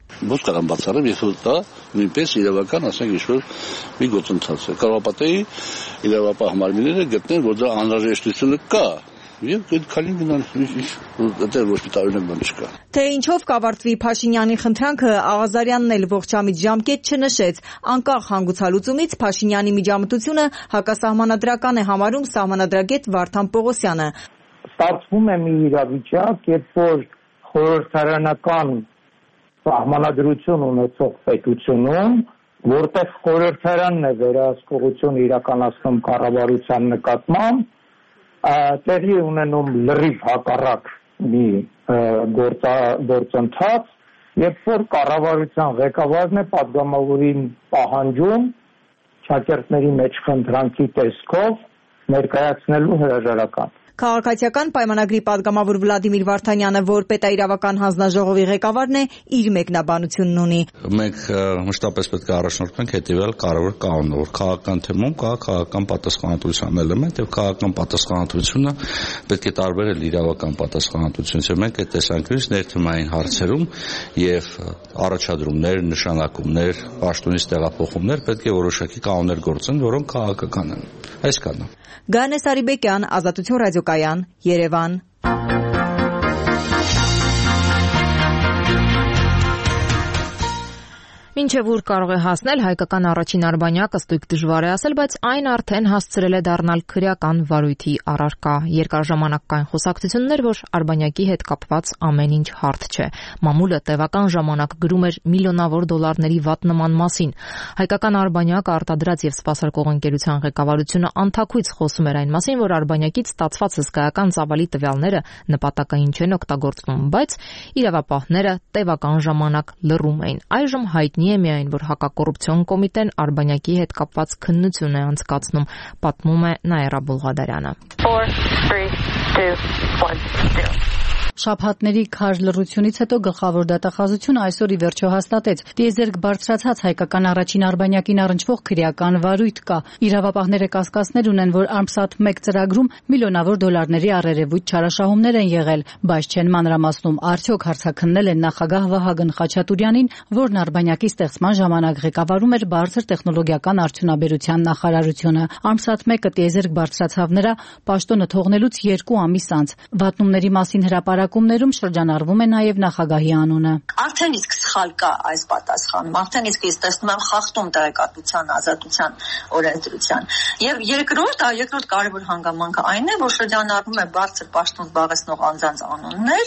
Ո՞ց կարող բացառեմ, ես դա նույնպես իրավական, ասենք, ինչ-որ մի գործընթաց է։ Կարող պատեի իրավապահ մարմինները գտնեն, որ դա անհրաժեշտությունը կա։ Եվ այդ քալին գնան, դա ոչ մի տարօրինակ բան չկա։ Թե ինչով կավարտվի Փաշինյանի խնդրանքը, Աղազարյանն էլ ողջամիտ ժամկետ չնշեց։ Անկախ հանգուցալուծումից Փաշինյանի միջամտությունը հակասահմանադրական է համարում սահմանադրագետ Վարդան Պողոսյանը։ Ստացվում է մի իրավիճակ, երբ որ խորհրդարանական սահմանադրություն ունեցող պետությունում, որտեղ խորհրդարանն է վերահսկողություն իրականացնում կառավարության նկատմամբ, տեղի ունենում լրիվ հակառակ մի գործընթաց, երբ որ կառավարության ղեկավարն է падգամավորին պահանջում շակերտների մեջ խնդրանքի տեսքով ներկայացնելու հրաժարական։ Քաղաքացիական պայմանագրի падգամավոր Վլադիմիր Վարդանյանը, որ պետաիրավական հանձնաժողովի ղեկավարն է, իր մեկնաբանությունն ունի։ Մենք մշտապես պետք է առաջնորդվենք հետևյալ կարևոր կանոնով, որ քաղաքական թեմում կա քաղաքական պատասխանատվության էլեմենտ եւ քաղաքական պատասխանատվությունը պետք է տարբերել իրավական պատասխանատվությունից։ Մենք այդ տեսանկյունից ներթեմային հարցերում եւ առաջադրումներ, նշանակումներ, պաշտոնից տեղափոխումներ պետք է որոշակի կանոններ գործեն, որոնք քաղաքական են։ Այսքանն է։ Գայանե Սարիբեկյան, Ազատություն ռադիոկայան, Երևան։ Մինչև ուր կարող է հասնել հայկական առաջին արբանյակը ստույգ դժվար է ասել, բայց այն արդեն հասցրել է դառնալ քրեական վարույթի առարկա։ Երկար ժամանակ կային խոսակցություններ, որ արբանյակի հետ կապված ամեն ինչ հարթ չէ։ Մամուլը տևական ժամանակ գրում էր միլիոնավոր դոլարների վատնման մասին։ Հայկական արբանյակը արտադրած եւ սպասարկող ընկերության ղեկավարությունը անթաքույց խոսում էր այն մասին, որ արբանյակից ստացված հսկայական ծավալի տվյալները նպատակային չեն օգտագործվում, բայց իրավապահները տևական ժամանակ լռում էին։ Այժմ հայտնի է միայն, որ հակակոռուպցիոն կոմիտեն արբանյակի հետ կապված քննություն է անցկացնում, պատմում է Նաիրա Բուլղադարյանը։ Շաբաթների քար լռությունից հետո գլխավոր դատախազությունը այսօր ի վերջո հաստատեց՝ տիեզերք բարձրացած հայկական առաջին արբանյակին առնչվող քրեական վարույթ կա։ Իրավապահները կասկածներ ունեն, որ Armsat մեկ ծրագրում միլիոնավոր դոլարների առերևույթ չարաշահումներ են եղել, բայց չեն մանրամասնում արդյոք հարցաքննել են նախագահ Վահագն Խաչատուրյանին, որն արբանյակի ստեղծման ժամանակ ղեկավարում էր բարձր տեխնոլոգիական արդյունաբերության նախարարությունը։ Armsat մեկը տիեզերք բարձրացավ նրա պաշտոնը թողնելուց երկու ամիս անց։ Վատնումների մասին հրապարակումներում շրջանառվում է նաև նախագահի անունը։ Արդեն իսկ սխալ կա այս պատասխանում, արդեն իսկ ես տեսնում եմ խախտում տեղեկատվության ազատության օրենսդրության։ Եվ երկրորդ, երկրորդ կարևոր հանգամանքը այն է, որ շրջանառվում է բարձր պաշտոն զբաղեցնող անձանց անուններ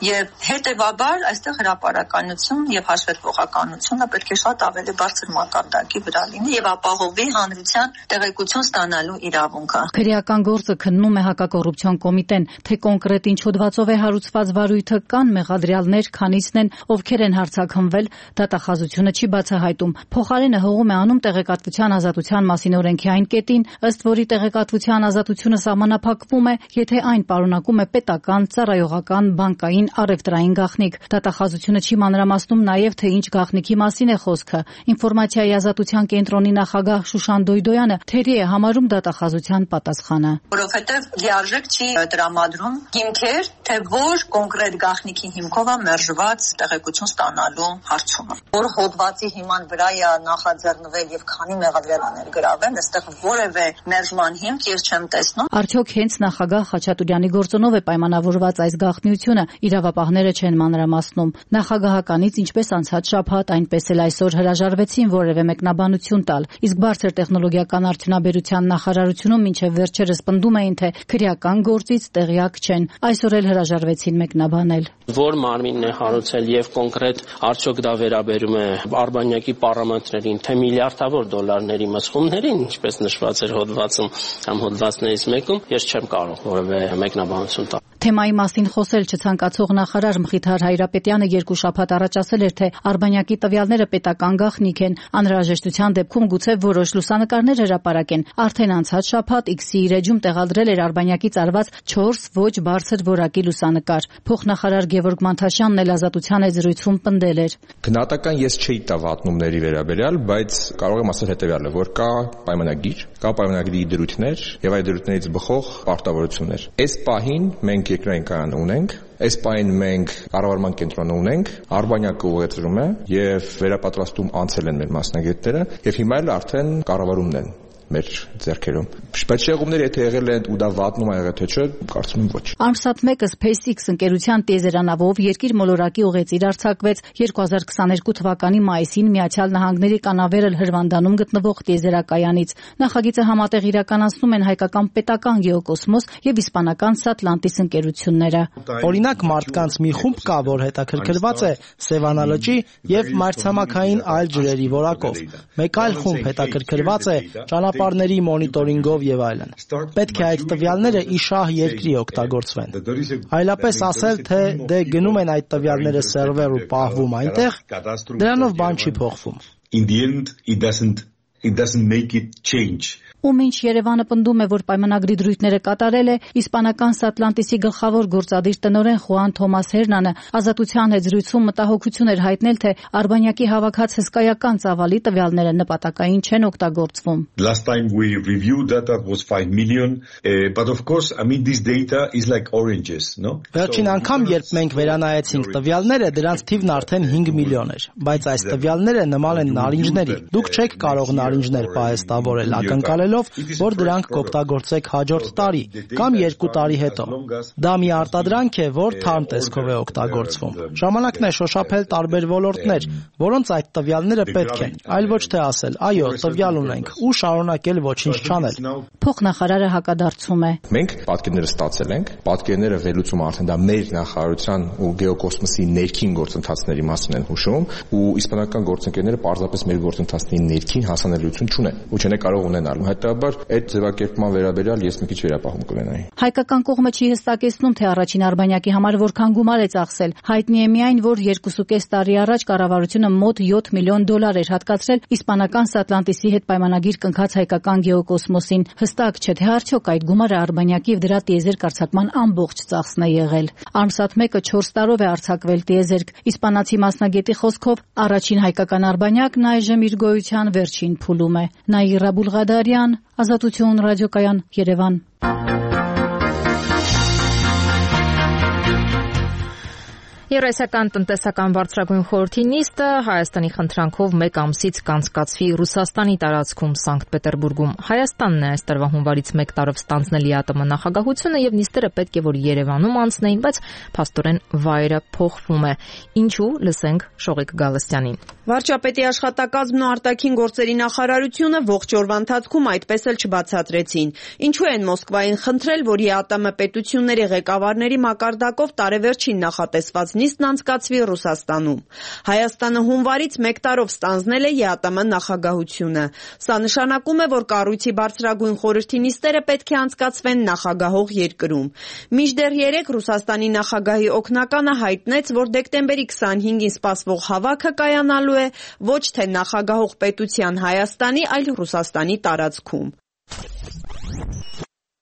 եւ հետեւաբար այստեղ հրապարականություն եւ հաշվետվողականությունը պետք է շատ ավելի բարձր մակարդակի վրա լինի եւ ապահովի հանրության տեղեկություն ստանալու իրավունքը։ Քրեական գործը քննում է հակակոռուպցիոն կոմիտեն, թե կոնկրետ ինչ հոդվածով է հարուցված վարույթը, կան մեղադրյալներ, քանիսն են, ովքեր են հարցաքննվել, դատախազությունը չի բացահայտում։ Փոխարենը հողում է անում տեղեկատվության ազատության մասին օրենքի այն կետին, ըստ որի տեղեկատվության ազատությունը սահմանափակվում է, եթե այն պարունակում է պետական, ծառայողական, բանկային, առևտրային գաղտնիք։ Դատախազությունը չի մանրամասնում նաև, թե ինչ գաղտնիքի մասին է խոսքը։ Ինֆորմացիայի ազատության կենտրոնի նախագահ Շուշան Դոյդոյանը թերի է համարում դատախազության պատասխանը։ Որովհետև լիարժեք չի տրամադրում հիմքեր, թե որ կոնկրետ գաղտնիքի հիմքով է մերժված տեղեկություն ստանալու հարցումը։ Որ հոդվածի հիման վրա է նախաձեռնվել եւ քանի մեղադրյալներ գրավել, այստեղ որևէ մերժման հիմք ես չեմ տեսնում։ Արդյոք հենց նախագահ Խաչատուրյանի գործոնով է պայմանավորված այս գաղտնիությունը, իրավապահները չեն մանրամասնում։ Նախագահականից ինչպես անցած շաբաթ, այնպես էլ այսօր հրաժարվեցին որևէ մեկնաբանություն տալ, իսկ բարձր տեխնոլոգիական արդյունաբերության նախարարությունում մինչև վերջերս պնդում էին, թե քրեական գործից տեղյակ չեն։ Այսօր էլ հրաժարվեցին մեկնաբանել։ Որ մարմինն է հարուցել եւ կոնկրետ արդյոք դա վերաբերում է արբանյակի պարամետրերին, թե միլիարդավոր դոլարների մսխումներին, ինչպես նշված էր հոդվածում կամ հոդվածներից մեկում, ես չեմ կարող որևէ մեկնաբանություն տալ։ Թեմայի մասին խոսել չցանկացող նախարար Մխիթար Հայրապետյանը երկու շաբաթ առաջ ասել էր, թե արբանյակի տվյալները պետական գաղտնիք են, անհրաժեշտության դեպքում գուցե որոշ լուսանկարներ հրապարակեն։ Արդեն անցած շաբաթ X-ի իր էջում տեղադրել էր արբանյակից արված չորս ոչ բարձր որակի լուսանկար։ Փոխնախարար Գևորգ Մանթաշյանն էլ ազատության այդ զրույցում պնդել էր։ Գնահատական ես չէի տա վատնումների վերաբերյալ, բայց կարող եմ ասել հետևյալը, որ կա պայմանագիր, կա պայմանագրի դրույթներ եւ այդ դրույթներից բխող պարտավորություններ։ Այս պահին մենք երկրային կայան ունենք, այս պահին մենք կառավարման կենտրոնը ունենք, արբանյակը ուղեցրում է եւ վերապատրաստում անցել են մեր մասնագետները եւ հիմա էլ արդեն կառավարումն են մեր ձեռքերում։ Բայց շեղումները եթե եղել են ու դա վատնում ա եղել թե չէ, կարծում եմ ոչ։ Armsat մեկը SpaceX ընկերության տիեզերանավով երկիր մոլորակի ուղեծիր արձակվեց երկու հազար քսաներկու թվականի մայիսին Միացյալ Նահանգների Կանավերալ հրվանդանում գտնվող տիեզերակայանից։ Նախագիծը համատեղ իրականացնում են հայկական պետական գեոկոսմոս եւ իսպանական Satlantis ընկերությունները։ Օրինակ մարդկանց մի խումբ կա, որ հետաքրքրված է Սևանա լճի եւ մայրցամաքային այլ ջրերի որակով։ Մեկ այլ խումբ հետաքրքրված է ճանապարհների մոնիտորինգով եւ այլն։ Պետք է այդ տվյալները իշահ երկրի օգտագործվեն։ Այլապես ասել, թե դե գնում են այդ տվյալները սերվեր ու պահվում այնտեղ, դրանով բան չի փոխվում։ In the end it doesn't it doesn't make it change. Ու մինչ Երևանը պնդում է, որ պայմանագրի դրույթները կատարել է, իսպանական Satlantis-ի գլխավոր գործադիր տնօրեն Խուան Թոմաս Հերնանը ազատության հետ զրույցում մտահոգություն էր հայտնել, թե արբանյակի հավաքած հսկայական ծավալի տվյալները նպատակային չեն օգտագործվում։ Last time we reviewed that that was five million, uh, but of course I mean this data is like oranges, no? Վերջին անգամ երբ մենք վերանայեցինք տվյալները, դրանց թիվն արդեն հինգ միլիոն էր, բայց այս տվյալները նման են նարինջների։ Դուք չեք կարող նարինջներ պահեստավորել, ակնկալել ապացուցելով, որ դրանք կօգտագործեք հաջորդ տարի կամ երկու տարի հետո։ Դա մի արտադրանք է, որ թարմ տեսքով է օգտագործվում։ Ժամանակն է շոշափել տարբեր ոլորտներ, որոնց այդ տվյալները պետք են, այլ ոչ թե ասել, այո, տվյալ ունենք ու շարունակել ոչինչ չանել։ Փոխնախարարը հակադարձում է։ Մենք պատկերները ստացել ենք, պատկերները վերլուծում արդեն դա մեր նախարարության ու գեոկոսմոսի ներքին գործընթացների մասին են հուշում, ու իսպանական գործընկերները պարզապես մեր գործընթացների ներքին հասանելիություն չունեն ու չեն կարող ունենալ։ Հետաբար այդ ձևակերպման վերաբերյալ ես մի քիչ վերապահում կունենայի։ Հայկական կողմը չի հստակեցնում, թե առաջին արբանյակի համար որքան գումար է ծախսել։ Հայտնի է միայն, որ երկուսուկես տարի առաջ կառավարությունը մոտ յոթ միլիոն դոլար էր հատկացրել իսպանական Սատլանտիսի հետ պայմանագիր կնքած հայկական գեոկոսմոսին։ Հստակ չէ, թե արդյոք այդ գումարը արբանյակի եւ դրա տիեզերք արձակման ամբողջ ծախսն է եղել։ Արմսատ մեկը չորս տարով է արձակվել տիեզերք։ Իսպանացի մասնագետի խոսքով առաջին հայկական արբանյակն այժմ իր գոյության վերջին փուլում է։ Նաիրա Բուլղադարյան, Ազատություն ռադիոկայան, Երևան։ Եվրասիական տնտեսական բարձրագույն խորհրդի նիստը Հայաստանի խնդրանքով մեկ ամսից կանցկացվի Ռուսաստանի տարածքում Սանկտ Պետերբուրգում։ Հայաստանն է այս տարվա հունվարից մեկ տարով ստանձնել ԵԱՏՄ նախագահությունը եւ նիստերը պետք է որ Երևանում անցնեին, բայց փաստորեն վայրը փոխվում է։ Ինչու՞, լսենք Շողիկ Գալստյանին։ Վարչապետի աշխատակազմն ու արտաքին գործերի նախարարությունը ողջ օրվա ընթացքում այդպես էլ չբացատրեցին։ Ինչու են Մոսկվային խնդրել, որ ԵԱՏՄ պետությունների ղեկավարների մակարդակով տարեվերջին նախատեսված նիստն անցկացվի Ռուսաստանում։ Հայաստանը հունվարից մեկ տարով ստանձնել է ԵԱՏՄ նախագահությունը։ Սա նշանակում է, որ կառույցի բարձրագույն խորհրդի նիստերը պետք է անցկացվեն նախագահող երկրում։ Մինչդեռ երեկ Ռուսաստանի նախագահի օգնականը հայտնեց, որ դեկտեմբերի քսանհինգին սպասվող հավաքը կայանալու է ոչ թե նախագահող պետության Հայաստանի, այլ Ռուսաստանի տարածքում։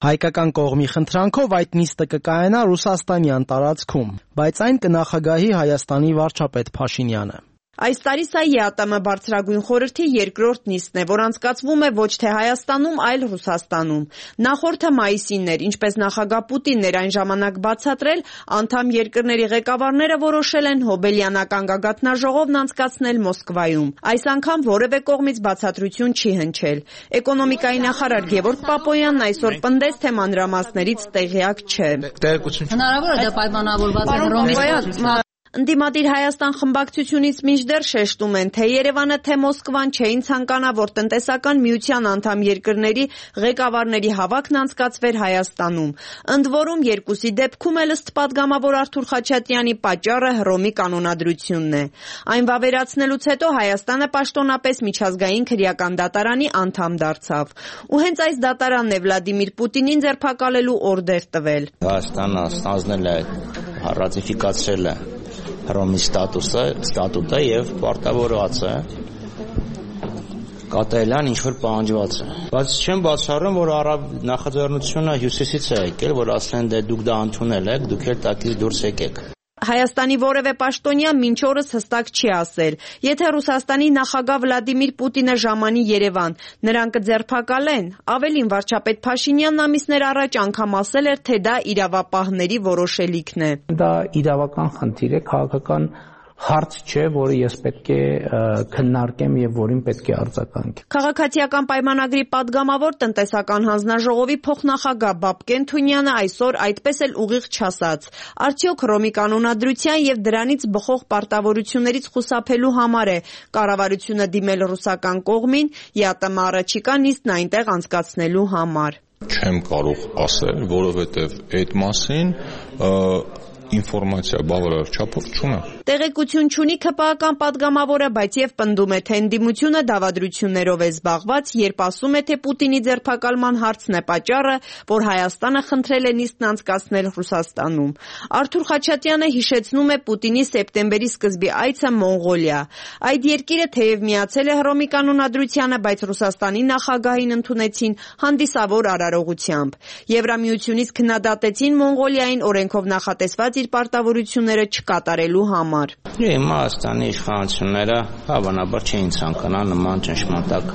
Հայկական կողմի խնդրանքով այդ նիստը կկայանա ռուսաստանյան տարածքում, բայց այն կնախագահի Հայաստանի վարչապետ Փաշինյանը։ Այս տարի սա ԵԱՏՄ բարձրագույն խորհրդի երկրորդ նիստն է, որ անցկացվում է ոչ թե Հայաստանում, այլ Ռուսաստանում։ Նախորդը մայիսին էր, ինչպես նախագահ Պուտինն էր այն ժամանակ բացատրել, անդամ երկրների ղեկավարները որոշել են հոբելյանական գագաթնաժողովն անցկացնել Մոսկվայում։ Այս անգամ որևէ կողմից բացատրություն չի հնչել։ Էկոնոմիկայի նախարար Գևորգ Պապոյանն այսօր պնդեց, թե մանրամասներից տեղյակ չէ։ Հնարավոր է դա պայմանավորված է Հռոմի Ընդդիմադիր Հայաստան խմբակցությունից մինչդեռ շեշտում են, թե Երևանը, թե Մոսկվան չէին ցանկանա, որ տնտեսական միության անդամ երկրների ղեկավարների հավաքն անցկացվեր Հայաստանում։ Ընդ որում, երկուսի դեպքում էլ ըստ պատգամավոր Արթուր Խաչատրյանի պատճառը Հռոմի կանոնադրությունն է։ Այն վավերացնելուց հետո Հայաստանը պաշտոնապես միջազգային քրեական դատարանի անդամ դարձավ։ Ու հենց այս դատարանն է Վլադիմիր Պուտինին ձերբակալելու օրդեր տվել։ Հայաստանը ստանձնել է, ռատիֆիկացրել է Հռոմի ստատուսը, ստատուտը եւ պարտավորված է կատարելան ինչ որ պահանջված է։ Բայց չեմ բացառում, որ արաբ նախաձեռնությունը հյուսիսից է եկել, որ ասեն դե դուք դա ընդունել եք, դուք էլ տակից դուրս եկեք։ Հայաստանի որևէ պաշտոնյա մինչ օրս հստակ չի ասել։ Եթե Ռուսաստանի նախագահ Վլադիմիր Պուտինը ժամանի Երևան, նրան կձերբակալեն։ Ավելին, վարչապետ Փաշինյանն ամիսներ առաջ անգամ ասել էր, թե դա իրավապահների որոշելիքն է։ Դա իրավական խնդիր է, քաղաքական հարց չէ, որը ես պետք է քննարկեմ եւ որին պետք է արձագանքեմ։ Քաղաքացիական պայմանագրի падգամավոր տնտեսական հանձնաժողովի փոխնախագահ Բաբկեն Թունյանը այսօր այդպես էլ ուղիղ չասաց։ Արդյոք Հռոմի կանոնադրության եւ դրանից բխող պարտավորություններից խուսափելու համար է կառավարությունը դիմել ռուսական կողմին ԵԱՏՄ առաջիկա նիստն այնտեղ անցկացնելու համար։ Չեմ կարող ասել, որովհետեւ այդ մասին ինֆորմացիա բավարար չափով չունեմ։ Տեղեկություն չունի ՔՊԱ-ական падգամավորը, բայց եւ պնդում է, թե ընդդիմությունը դավադրություններով է զբաղված, երբ ասում է, թե Պուտինի ձերբակալման հարցն է պատճառը, որ Հայաստանը խնդրել է նիստն անցկացնել Ռուսաստանում։ Արթուր Խաչատրյանը հիշեցնում է Պուտինի սեպտեմբերի սկզբի այցը Մոնղոլիա։ Այդ երկիրը թեև միացել է Հռոմի կանոնադրությանը, բայց Ռուսաստանի նախագահին ընդունեցին հանդիսավոր արարողությամբ։ Եվրամիությունից քննադատեցին Մոնղոլիային օրենքով նախատեսված իր պարտավորությունները չկատարելու համար։ Իմաստանի իշխանությունները հավանաբար չէին ցանկանա նման ճնշմարտակ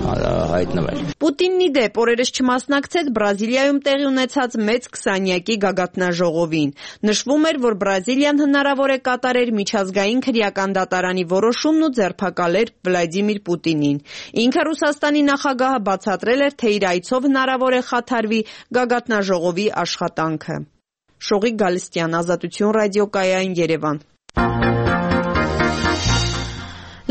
հայտնվել։ Պուտինն ի դեպ օրերս չմասնակցեց Բրազիլիայում տեղի ունեցած մեծ քսանյակի գագաթնաժողովին։ Նշվում էր, որ Բրազիլիան հնարավոր է կատարեր միջազգային քրեական դատարանի որոշումն ու ձերբակալեր Վլադիմիր Պուտինին։ Ինքը Ռուսաստանի նախագահը բացատրել էր, թե իր այցով հնարավոր է խաթարվի գագաթնաժողովի աշխատանքը։ Շողիկ Գալստյան, Ազատություն ռադիոկայան, Երևան։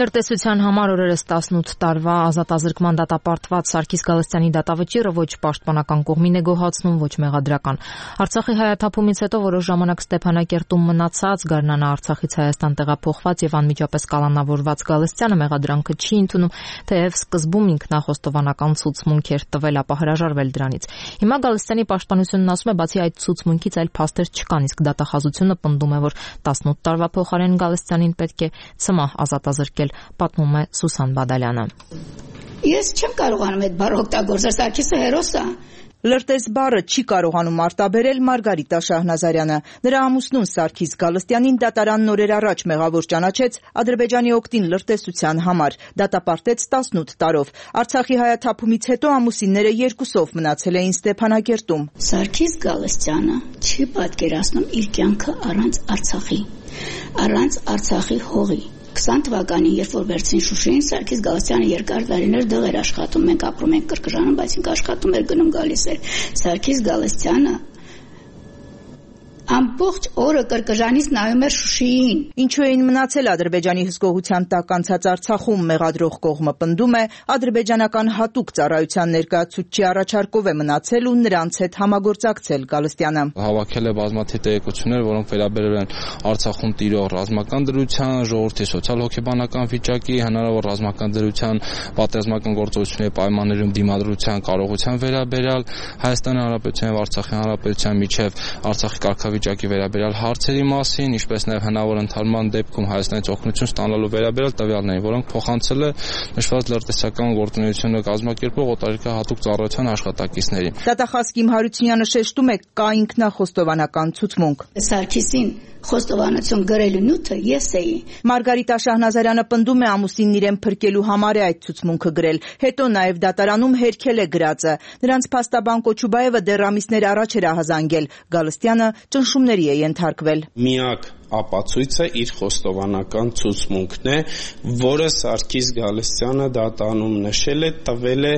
Լրտեսության համար օրերս տասնութ տարվա ազատազրկման դատապարտված Սարգիս Գալստյանի դատավճիռը ոչ պաշտպանական կողմին է գոհացնում, ոչ մեղադրական։ Արցախի հայաթափումից հետո որոշ ժամանակ Ստեփանակերտում մնացած, գարնանա Արցախից Հայաստան տեղափոխված եւ անմիջապես կալանավորված Գալստյանը մեղադրանքը չի ընդունում, թեև սկզբում ինքնախոստովանական ցուցմունք էր տվել, ապա հրաժարվել դրանից։ Հիմա Գալստյանի պաշտպանությունն ասում է, բացի այդ ցուցմունքից այլ փաստեր չկան, իսկ դատախազությունը պնդում է, որ տասնութ տարվա փոխարեն Գալստյանին պետք է ցմահ ազատազրկել, պատմում է Սուսան Բադալյանը։ Ես չեմ կարողանում այդ բառը օգտագործել, Սարգիսը հերոս է։ Լրտես բառը չի կարողանում արտաբերել Մարգարիտա Շահնազարյանը։ Նրա ամուսնուն Սարգիս Գալստյանին դատարանն օրեր առաջ մեղավոր ճանաչեց Ադրբեջանի օգտին լրտեսության համար, դատապարտեց տասնութ տարով։ Արցախի հայաթափումից հետո ամուսինները երկուսով մնացել էին Ստեփանակերտում։ Սարգիս Գալստյանը չի պատկերացնում իր կյանքը առանց Արցախի, առանց Արցախի հողի։ քսան թվականին, երբ որ վերցին Շուշին, Սարգիս Գալստյանը երկար տարիներ դեղ էր աշխատում, մենք ապրում ենք Կրկժանում, բայց ինքը աշխատում էր, գնում գալիս էր։ Սարգիս Գալստյանը ամբողջ օրը Կրկժանից նայում էր Շուշիին։ Ինչու էին մնացել Ադրբեջանի հսկողության տակ անցած Արցախում, մեղադրող կողմը պնդում է, ադրբեջանական հատուկ ծառայության ներկայացուցչի առաջարկով է մնացել ու նրանց հետ համագործակցել Գալստյանը։ Հավաքել է բազմաթիվ տեղեկություններ, որոնք վերաբերել են Արցախում տիրող ռազմական դրության, ժողովրդի սոցիալ-հոգեբանական վիճակի, հնարավոր ռազմական դրության, պատերազմական գործողությունների պայմաններում դիմադրության կարողության վերաբերյալ, Հայաստանի Հանրապետության եւ Արցախի Հանրապետության միջև Արցախի կարգավիճակի վերաբերյալ հարցերի մասին, ինչպես նաև հնարավոր ընդհանրման դեպքում Հայաստանից օգնություն ստանալու վերաբերյալ տվյալներին, որոնք փոխանցել է նշված լրտեսական գործունեությունը կազմակերպող օտարերկրահատուկ ծառայության աշխատակիցներին։ Դատախազ Կիմ Հարությունյանը շեշտում է, կա ինքնախոստովանական ցուցմունք։ Սարգիսին խոստովանություն գրելու նյութը ես էի։ Մարգարիտա Շահնազարյանը պնդում է, ամուսինն իրեն փրկելու համար է այդ ցուցմունքը գրել, հետո նաև դատարանում հերքել է գրածը։ Նրանց փաստաբան Կոչուբաևը դեռ ամիսներ առաջ էր ահազանգել, Գալստյանը ճնշումների է ենթարկվել։ Միակ ապացույցը իր խոստովանական ցուցմունքն է, որը Սարգիս Գալստյանը դատանում նշել է, տվել է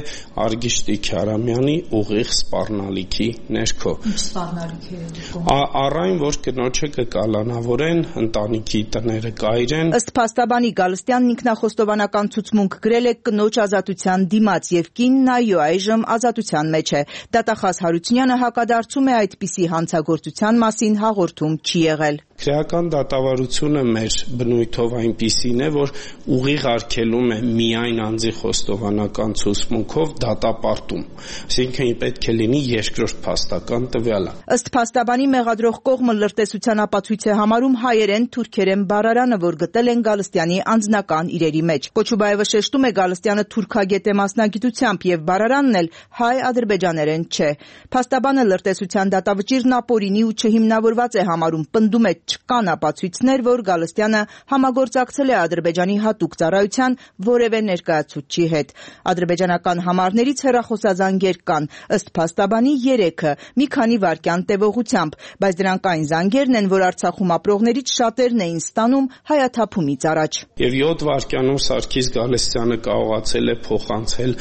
Արգիշտի Քյարամյանի ուղիղ սպառնալիքի ներքո։ Ինչ սպառնալիք է։ Առայն որ կնոջը կկալանավորեն, ընտանիքի տները կայրեն։ Ըստ փաստաբանի Գալստյանն ինքնախոստովանական ցուցմունք գրել է կնոջ ազատության դիմաց եւ կինն այո այժմ ազատության մեջ է։ Դատախազ Հարությունյանը հակադարձում է այդպիսի հանցագործության մասին հաղորդում չի եղել։ Քրեական դատավարությունը մեր բնույթով այնպիսին է, որ ուղիղ արգելում է միայն անձի խոստովանական ցուցմունքով դատապարտում, այսինքն պետք է լինի երկրորդ փաստական տվյալը։ Ըստ փաստաբանի մեղադրող կողմը լրտեսության ապացույց է համարում հայերեն թուրքերեն բառարանը, որ գտել են Գալստյանի անձնական իրերի մեջ։ Կոչուբաևը շեշտում է, Գալստյանը թուրքագետ է մասնագիտությամբ եւ բառարանն էլ հայ-ադրբեջաներեն չէ։ Փաստաբանը լրտեսության դատավճիրն ապօրինի ու չհիմնավորված է համարում, պնդում է չկան ապացույցներ, որ Գալստյանը համագործակցել է Ադրբեջանի հատուկ ծառայության որևէ ներկայացուցչի հետ։ Ադրբեջանական համարներից հեռախոսազանգեր կան, ըստ փաստաբանի երեքը, մի քանի վայրկյան տևողությամբ, բայց դրանք այն զանգերն են, որ Արցախում ապրողներից շատերն էին ստանում հայաթափումից առաջ։ Եվ յոթ վայրկյանում Սարգիս Գալստյանը կարողացել է փոխանցել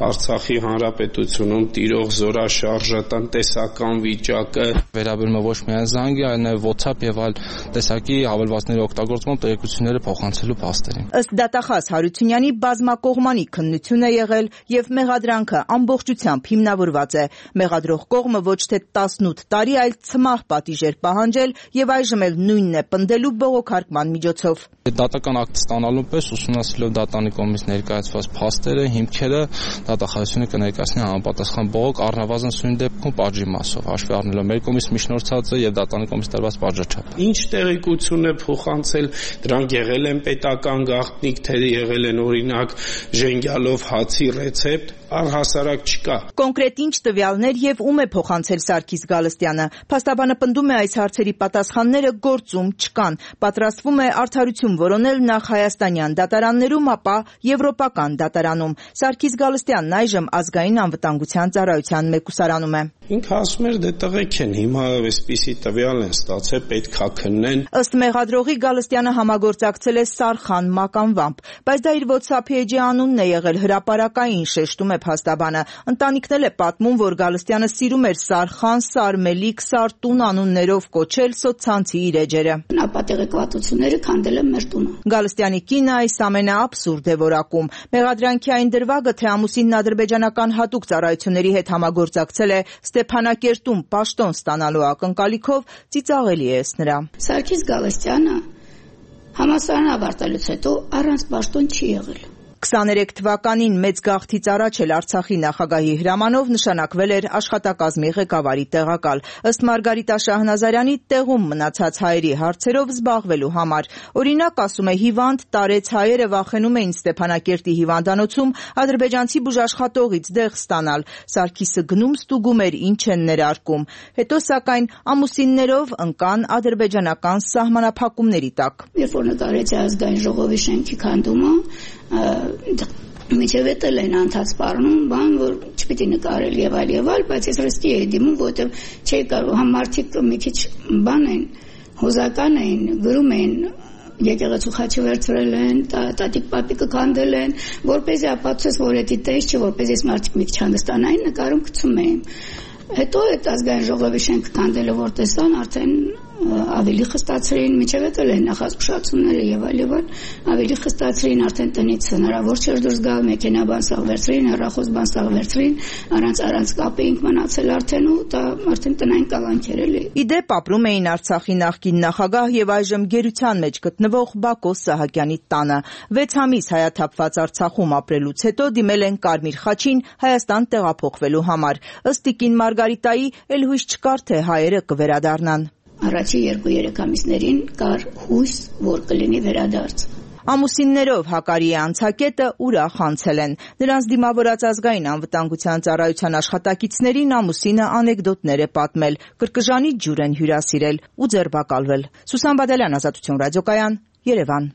Արցախի Հանրապետությունում տիրող զորաշարժը, տնտեսական վիճակը, վերաբերում է ոչ միայն զանգի, այլ նաև WhatsApp եւ այլ տեսակի հավելվածների օգտագործման տեղեկությունները փոխանցելու փաստերին։ Ըստ դատախազ Հարությունյանի բազմակողմանի քննություն է եղել եւ մեղադրանքը ամբողջությամբ հիմնավորված է։ Մեղադրող կողմը ոչ թե տասնութ տարի, այլ ցմահ պատիժ էր պահանջել եւ այժմ էլ նույնն է պնդելու բողոքարկման միջոցով։ Դատական ակտ ստանալու պես ուսումնասիրելով դատանի կողմից ներկայացված փաստերը, հիմքերը, դատախազությունը կներկայացնի համապատասխան բողոք առնվազն սույն դեպքում պատժի մասով, հաշվի առնելով մեր կողմից միջնորդածը եւ դատանի կողմից տրված պատժաչափը։ Ինչ տեղեկություն է փոխանցել, դրանք եղել են պետական գաղտնիք, թե եղել են օրինակ ժենգյալով հացի ռեցեպտ, առհասարակ չկա։ Կոնկրետ ինչ տվյալներ եւ ում է փոխանցել Սարգիս Գալստյանը։ Փաստաբանը պնդում է այս հարցերի պատասխանները գործում չկան։ Պատրաստվում է արդարություն որոնել նախ հայաստանյան դատարաններում, ապա եվրոպական դատարանում։ Սարգիս Գալստյանն այժմ ազգային անվտանգության ծառայության մեկուսարանում է։ Ինքը ասում էր դե տղեկ են, հիմա այսպիսի տվյալ են ստացել, պետք է քննեն։ Ըստ մեղադրողի Գալստյանը համագործակցել է Սարխան մականվամբ, բայց դա իր WhatsApp-ի էջի անունն է եղել, հրապարակային, շեշտում է փաստաբանը։ Ընտանիքն էլ է պատմում, որ Գալստյանը սիրում էր Սարխան, Սարմելիք, Սարտուն անուններով կոչել սոցցանցի իր էջերը։ Ապատեղեկվածությունները քանդել են մեր տունը։ Գալստյանի կինը այս ամենը աբսուրդ է որակում։ Մեղադրանքի այն դրվագը, թե ամուսինն ադրբեջանական հատուկ ծառայությունների հետ համագործակցել է Ստեփանակերտում պաշտոն ստանալու ակնկալիքով, ծիծաղելի է նրա։ Սարգիս Գալստյանը համալսարան ավարտելուց հետո առանց պաշտոն չի եղել։ քսաներեք թվականին մեծ գաղթից առաջ էլ Արցախի նախագահի հրամանով նշանակվել էր աշխատակազմի ղեկավարի տեղակալ։ Ըստ Մարգարիտա Շահնազարյանի, տեղում մնացած հայերի հարցերով զբաղվելու համար։ Օրինակ, ասում է, հիվանդ տարեց հայերը վախենում էին Ստեփանակերտի հիվանդանոցում ադրբեջանցի բուժաշխատողից դեղ ստանալ։ Սարգիսը գնում ստուգում էր, ինչ են ներարկում։ Հետո, սակայն, ամուսիններով ընկան ադրբեջանական սահմանափակումների տակ։ Երբ որ նկարեցի ազգային ժողովի շենքի քանդումը, միջև էլ են անցած սպառնում, բան, որ չպիտի նկարել եւ այլ եւ այլ, բայց ես ռստի էի դիմում, որտեղ չէի կարող, համ մարդիկ մի քիչ բան են, հոզական են, գրում են, եկեղեցու խաչը վերցրել են, տատիկ պապիկը քանդել են, որպեսզի ապացուցես, որ դա տես չէ, որպեսզի այս մարդիկ մի քիչ հանդստանային, նկարում գցում էին։ Հետո այդ ազգային ժողովի շենքը քանդելը որ տեսան, արդեն ավելի խստացրին, միջև էլ են նախազգուշացումները եւ այլ եւ այլ, ավելի խստացրին, արդեն տնից հնարավոր չէր դուրս գալ, մեքենաբան սաղ վերցրին, հեռախոս բան սաղ վերցրին, առանց առանց կապ էինք մնացել արդեն ու դա արդեն տնային կալանքեր էլի։ Իդեպ ապրում էին Արցախի նախկին նախագահ եւ այժմ գերության մեջ գտնվող Բակո Սահակյանի տանը։ վեց ամիս հայաթափված Արցախում ապրելուց հետո դիմել են Կարմիր խաչին Հայաստան տեղափոխվելու համար։ Ըստ Տիկին Մարգարիտայի, էլ հույս չկար, թե հայերը կվերադառնան։ Առաջի երկու-երեք ամիսներին կար հույս, որ կլինի վերադարձ։ Ամուսիններով Հակարիի անցակետը ուրախ անցել են։ Նրանց դիմավորած ազգային անվտանգության ծառայության աշխատակիցներին ամուսինը անեկդոտներ է պատմել, կրկժանի ջուր են հյուրասիրել ու ձերբակալվել։ Սուսան Բադալյան, Ազատություն ռադիոկայան, Երևան։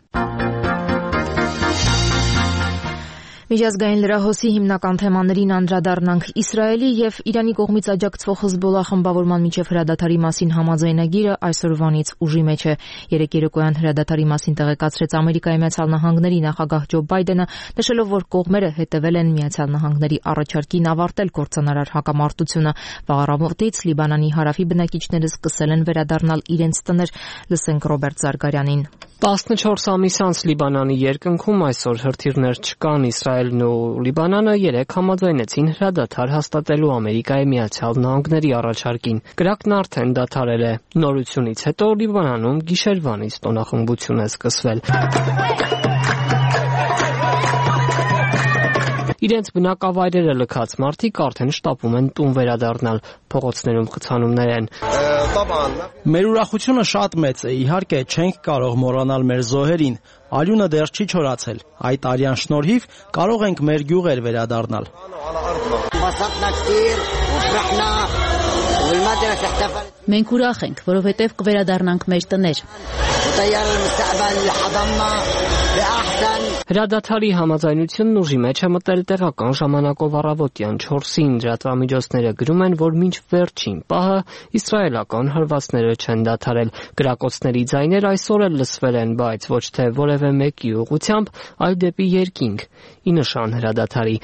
Միջազգային լրահոսի հիմնական թեմաներին անդրադառնանք։ Իսրայելի եւ Իրանի կողմից աջակցվող Հզբոլլահ խմբավորման միջև հրադադարի մասին համաձայնագիրը այսօրվանից ուժի մեջ է։ Երեկ երեկոյան հրադադարի մասին տեղեկացրեց Ամերիկայի Միացյալ Նահանգների նախագահ Ջո Բայդենը, նշելով, որ կողմերը հետևել են Միացյալ Նահանգների առաջարկին ավարտել կործանարար հակամարտությունը։ Վաղ առավոտից Լիբանանի հարավի բնակիչները սկսել են վերադառնալ իրենց տներ։ Լսենք Ռոբերտ Զարգարյանին։ տասնչորս ամիս անց Լիբանանի երկնքում այսօր հրթիռներ չկան։ Իսրայելն ու Լիբանանը երեկ համաձայնեցին հրադադար հաստատելու Ամերիկայի Միացյալ Նահանգների առաջարկին։ Կրակն արդեն դադարել է։ Նորությունից հետո Լիբանանում գիշերվանից տոնախմբություն է սկսվել։ Իրենց բնակավայրերը լքած մարդիկ արդեն շտապում են տուն վերադառնալ, փողոցներում խցանումներ են։ Մեր ուրախությունը շատ մեծ է, իհարկե չենք կարող մոռանալ մեր զոհերին, արյունը դեռ չի չորացել, այդ արյան շնորհիվ կարող ենք մեր գյուղեր վերադառնալ։ Մենք ուրախ ենք, որովհետև կվերադառնանք մեր տներ։ Հրադադարի համաձայնությունն ուժի մեջ է մտել տեղական ժամանակով առավոտյան չորսին։ Լրատվամիջոցները գրում են, որ մինչ վերջին պահը իսրայելական հարվածները չեն դադարել։ Կրակոցների ձայներ այսօր էլ լսվել են, բայց ոչ թե որևէ մեկի ուղղությամբ, այլ դեպի երկինք, ի նշան հրադադարի։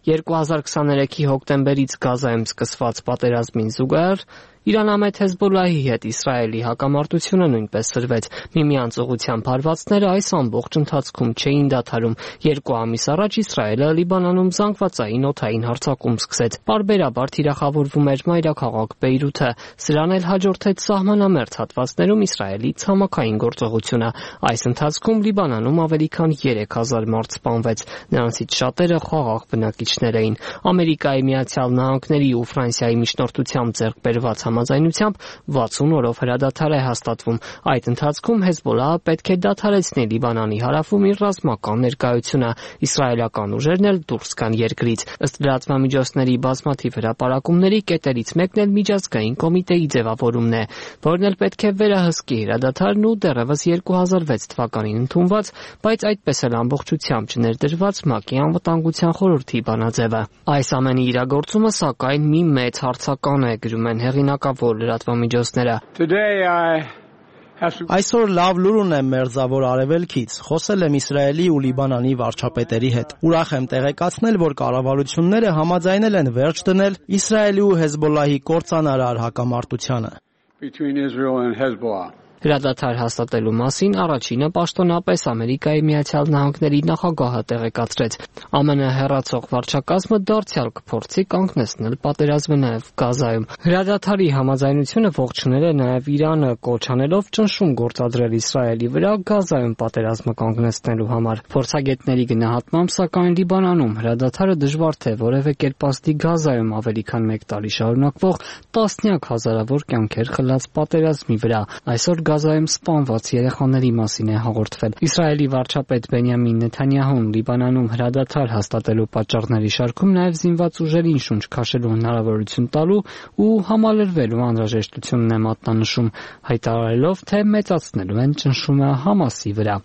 երկու հազար քսաներեքի հոկտեմբերից Գազայում սկսված պատերազմին զուգահեռ Իրանամետ Հեզբոլլահի հետ Իսրայելի հակամարտությունը նույնպես սրվեց։ Միմյանց ուղղությամբ հարվածները այս ամբողջ ընթացքում չէին դադարում։ Երկու ամիս առաջ Իսրայելը Լիբանանում զանգվածային օդային հարձակում սկսեց։ Պարբերաբար թիրախավորվում էր մայրաքաղաք Բեյրութը։ Սրան էլ հաջորդեց սահմանամերձ հատվածներում Իսրայելի ցամաքային գործողությունը։ Այս ընթացքում Լիբանանում ավելի քան երեք հազար մարդ սպանվեց։ Նրանցից շատերը խաղաղ բնակիչներ էին։ Ամերիկայի Միացյալ Նահանգների ու Ֆրանսիայի միջնորդությամբ ձեռք բերված համաձայնությամբ վաթսուն օրով հրադադար է հաստատվում։ Այդ ընթացքում Հեզբոլլահը պետք է դադարեցնի Լիբանանի հարավում իր ռազմական ներկայությունը, իսրայելական ուժերն էլ դուրս գան երկրից։ Ըստ լրատվամիջոցների բազմաթիվ հրապարակումների կետերից մեկն էլ միջազգային կոմիտեի ձևավորումն է, որն էլ պետք է վերահսկի հրադադարն ու դեռևս երկու հազար վեց թվականին ընդունված, բայց այդպես էլ ամբողջությամբ չներդրված ՄԱԿ-ի անվտանգության խորհրդի բանաձևը։ Այս ամենի իրագործումը սակայն մի մեծ հարցական է, գրում են հեղինակավոր լրատվամիջոցները։ Այսօր լավ լուր ունեմ Մերձավոր Արևելքից։ Խոսել եմ Իսրայելի ու Լիբանանի վարչապետերի հետ։ Ուրախ եմ տեղեկացնել, որ կառավարությունները համաձայնել են վերջ դնել Իսրայելի ու Հեզբոլլահի կործանարար հակամարտությանը։ Հրադադար հաստատելու մասին առաջինը պաշտոնապես Ամերիկայի Միացյալ Նահանգների նախագահը տեղեկացրեց։ ԱՄՆ հեռացող վարչակազմը դարձյալ կփորձի կանգնեցնել պատերազմը նաև Գազայում։ Հրադադարի համաձայնությունը ողջունել է նաև Իրանը, կոչ անելով ճնշում գործադրել Իսրայելի վրա Գազայում պատերազմը կանգնեցնելու համար։ Փորձագետների գնահատմամբ, սակայն Լիբանանում հրադադարը դժվար թե որևէ կերպ ազդի Գազայում ավելի քան մեկ տարի շարունակվող տասնյակ հազարավոր կյանքեր խլած պատերազմի վրա։ Այսօր Գազայում սպանված երեխաների մասին է հաղորդվել։ Իսրայելի վարչապետ Բենյամին Նեթանյահուն Լիբանանում հրադադար հաստատելու պատճառների շարքում նաև զինված ուժերին շունչ քաշելու հնարավորություն տալու ու համալրվելու անհրաժեշտությունն է մատնանշում, հայտարարելով, թե մեծացնելու են ճնշումը Համասի վրա։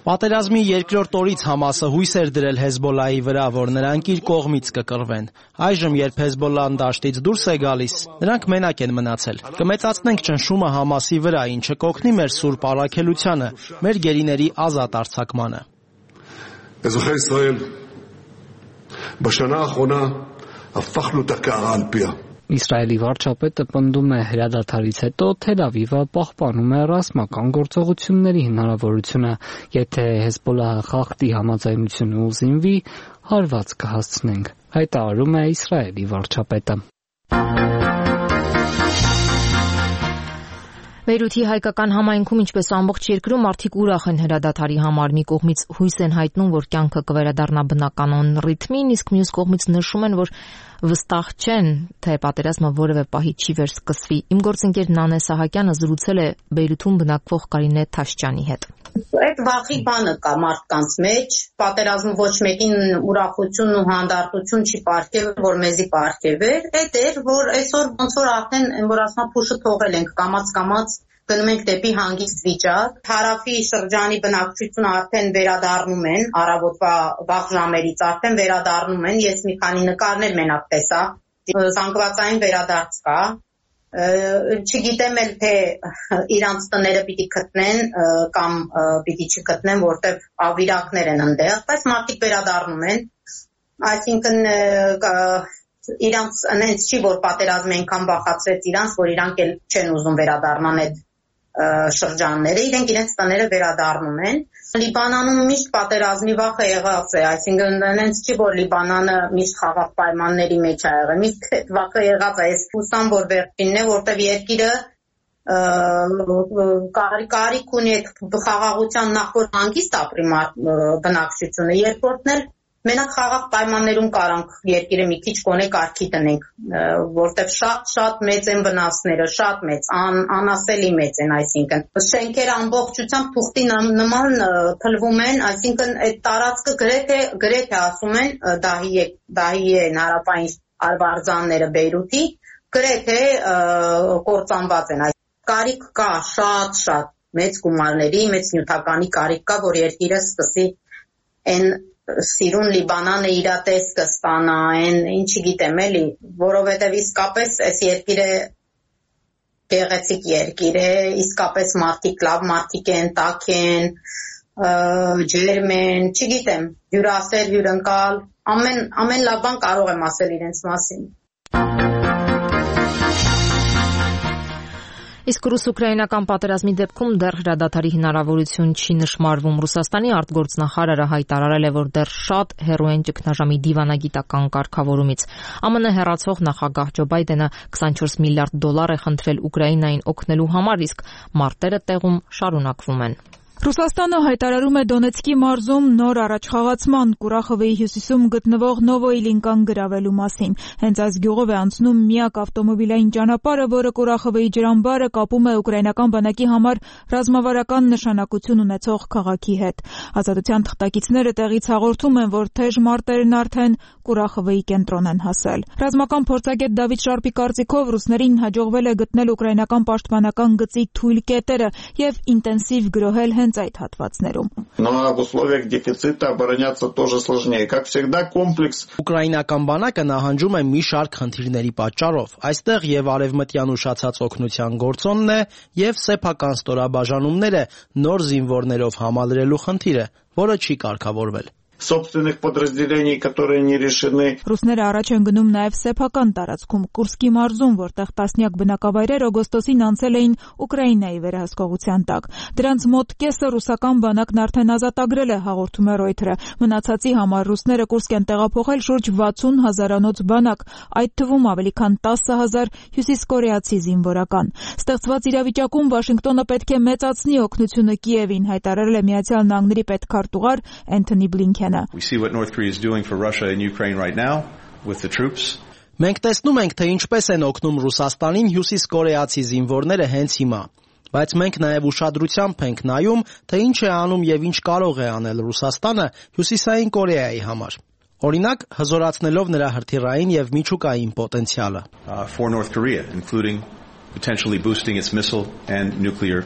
Պատերազմի երկրորդ օրից Համասը հույս էր դրել Հեզբոլլահի վրա, որ նրանք իր կողմից կկռվեն։ Այժմ, երբ Հեզբոլլահն դաշտից դուրս է գալիս, նրանք մենակ են մնացել։ Կմեծացնենք ճնշումը Համասի վրա, ինչը կօգնի մեր սուրբ առաքելությանը, մեր գերիների ազատ արձակմանը։ אזרחי ישראל, בשנה האחרונה הפכנו את הקערה על פיה. Իսրայելի վարչապետը պնդում է հրադադարից հետո Թել Ավիվը պահպանում է ռազմական գործողությունների հնարավորությունը, եթե Հեզբոլլահը խախտի համաձայնությունը ու զինվի, հարված կհասցնենք, հայտարարում է Իսրայելի վարչապետը։ Բեյրութի հայկական համայնքում, ինչպես ամբողջ երկրում, մարդիկ ուրախ են հրադադարի համար։ Մի կողմից հույս են հայտնում, որ կյանքը կվերադառնա բնականon ռիթմին, իսկ մյուս կողմից նշում են, որ վստահ չեն, թե պատերազմը որևէ պահի չի վերսկսվի։ Իմ գործընկեր Նանե Սահակյանը զրուցել է Բեյրութում բնակվող Կարինե Թաշճյանի հետ։ Այդ վախի բանը կա մարդկանց մեջ, պատերազմը ոչ մեկին ուրախություն ու հանդարտություն չի պարգևել, որ մեզի պարգևեր, այդ էր, որ այսօր ոնց որ արդեն որ ասма փուշը թողել ենք, կամաց-կամաց գնում ենք դեպի հանգիստ վիճակ։ Հարավի շրջանի բնակչությունը արդեն վերադառնում են, առավոտվա վաղ ժամերից արդեն վերադառնում են, ես մի քանի նկարներ մենակ տեսա, զանգվածային վերադարձ կա։ Չգիտեմ էլ թե իրանց տները պիտի գտնեն կամ պիտի չգտնեն, որտեղ ավիրակներ են ընդեղ, բայց մարդիկ վերադառնում են, այսինքն իրանց այնց չի, որ պատերազմը այնքան վախացրեց իրանց, որ իրանք էլ չեն ուզում վերադառնան այդ շրջանները, իրենք իրենց տները վերադառնում են։ Լիբանանում միշտ պատերազմի վախը եղած է, այսինքն այնց չի, որ Լիբանանը միշտ խաղաղ պայմանների մեջ է եղել, միշտ այդ վախը եղած է, ես հուսամ, որ վերջինն է, որտեղ երկիրը կարիք ունի այդ խաղաղության նախ որ հանգիստ ապրի բնակչությունը, երկրորդն էլ մենակ խաղաղ պայմաններում կարանք երկիրը մի քիչ կոնե կարգի տնենք, որտեղ շատ-շատ մեծ են վնասները, շատ մեծ, անասելի մեծ են, այսինքն շենքերը ամբողջությամբ թուղթի նման փլվում են, այսինքն այդ տարածքը գրեթե գրեթե ասում են Դահիե հարավային արվարձանները Բեյրութի գրեթե կործանված են, կարիք կա շատ-շատ մեծ գումարների, մեծ նյութականի կարիք կա, որ երկիրը սկսի այն սիրուն Լիբանանը իր տեսքը ստանա, այն ինչի գիտեմ էլի, որովհետև իսկապես այս երկիրը գեղեցիկ երկիր է, իսկապես մարդիկ լավ մարդիկ են, տաք են, ջերմ են, չգիտեմ, հյուրասեր, հյուրընկալ, ամեն ամեն լավ բան կարող եմ ասել իրենց մասին։ Իսկ ռուս-ուկրաինական պատերազմի դեպքում դեռ հրադադարի հնարավորություն չի նշմարվում։ Ռուսաստանի արտգործնախարարը հայտարարել է, որ դեռ շատ հեռու են ճգնաժամի դիվանագիտական կարգավորումից։ ԱՄՆ հեռացող նախագահ Ջո Բայդենը քսանչորս միլիարդ դոլար է խնդրել Ուկրաինային օգնելու համար, իսկ մարտերը տեղում շարունակվում են։ Ռուսաստանը հայտարարում է Դոնեցկի մարզում նոր առաջխաղացման Կուրախովեի հյուսիսում գտնվող Նովոիլինկան գրավելու մասին։ Հենց այս գյուղով է անցնում միակ ավտոմոբիլային ճանապարհը, որը Կուրախովեի ջրամբարը կապում է ուկրաինական բանակի համար ռազմավարական նշանակություն ունեցող քաղաքի հետ։ Ազատության թղթակիցները տեղից հաղորդում են, որ թեժ մարտերն արդեն Կուրախովեի կենտրոն են հասել։ Ռազմական փորձագետ Դավիթ Շարպի կարծիքով ռուսներին հաջողվել է գտնել ուկրաինական պաշտպանական գծի թույլ կետերը եւ ինտենսիվ գրոհել հենց այդ հատվածներում։ Ուկրաինական բանակը նահանջում է մի շարք խնդիրների պատճառով։ Այստեղ եւ արևմտյան ուշացած օգնության գործոնն է եւ սեփական ստորաբաժանումները նոր զինվորներով համալրելու խնդիրը, որը չի կարգավորվել։ собственных подразделений, которые не решены. Ռուսները առաջ են գնում նաև սեփական տարածքում Կուրսկի մարզում, որտեղ տասնյակ բնակավայրեր օգոստոսին անցել էին Ուկրաինայի վերահսկողության տակ։ Դրանց մոտ կեսը ռուսական բանակն արդեն ազատագրել է, հաղորդում է Reuters-ը։ Մնացածի համար ռուսները Կուրսկ են տեղափոխել շուրջ վաթսուն հազարանոց բանակ, այդ թվում ավելի քան տասը հազար հյուսիսկորեացի զինվորական։ Ստեղծված իրավիճակում Վաշինգտոնը պետք է մեծացնի օգնությունը Կիևին, հայտարարել է Միացյալ Նահանգների պետքարտուղար Էնթոնի Բլինքենը։ We see what North Korea is doing for Russia and Ukraine right now with the troops. Մենք տեսնում ենք, թե ինչպես են օգնում Ռուսաստանին հյուսիսկորեացի զինվորները հենց հիմա։ Բայց մենք նաև ուշադրությամբ ենք նայում, թե ինչ է անում եւ ինչ կարող է անել Ռուսաստանը Հյուսիսային Կորեայի համար։ Օրինակ, հզորացնելով նրա հրթիռային եւ միջուկային պոտենցիալը։ Uh, for North Korea, including potentially boosting its missile and nuclear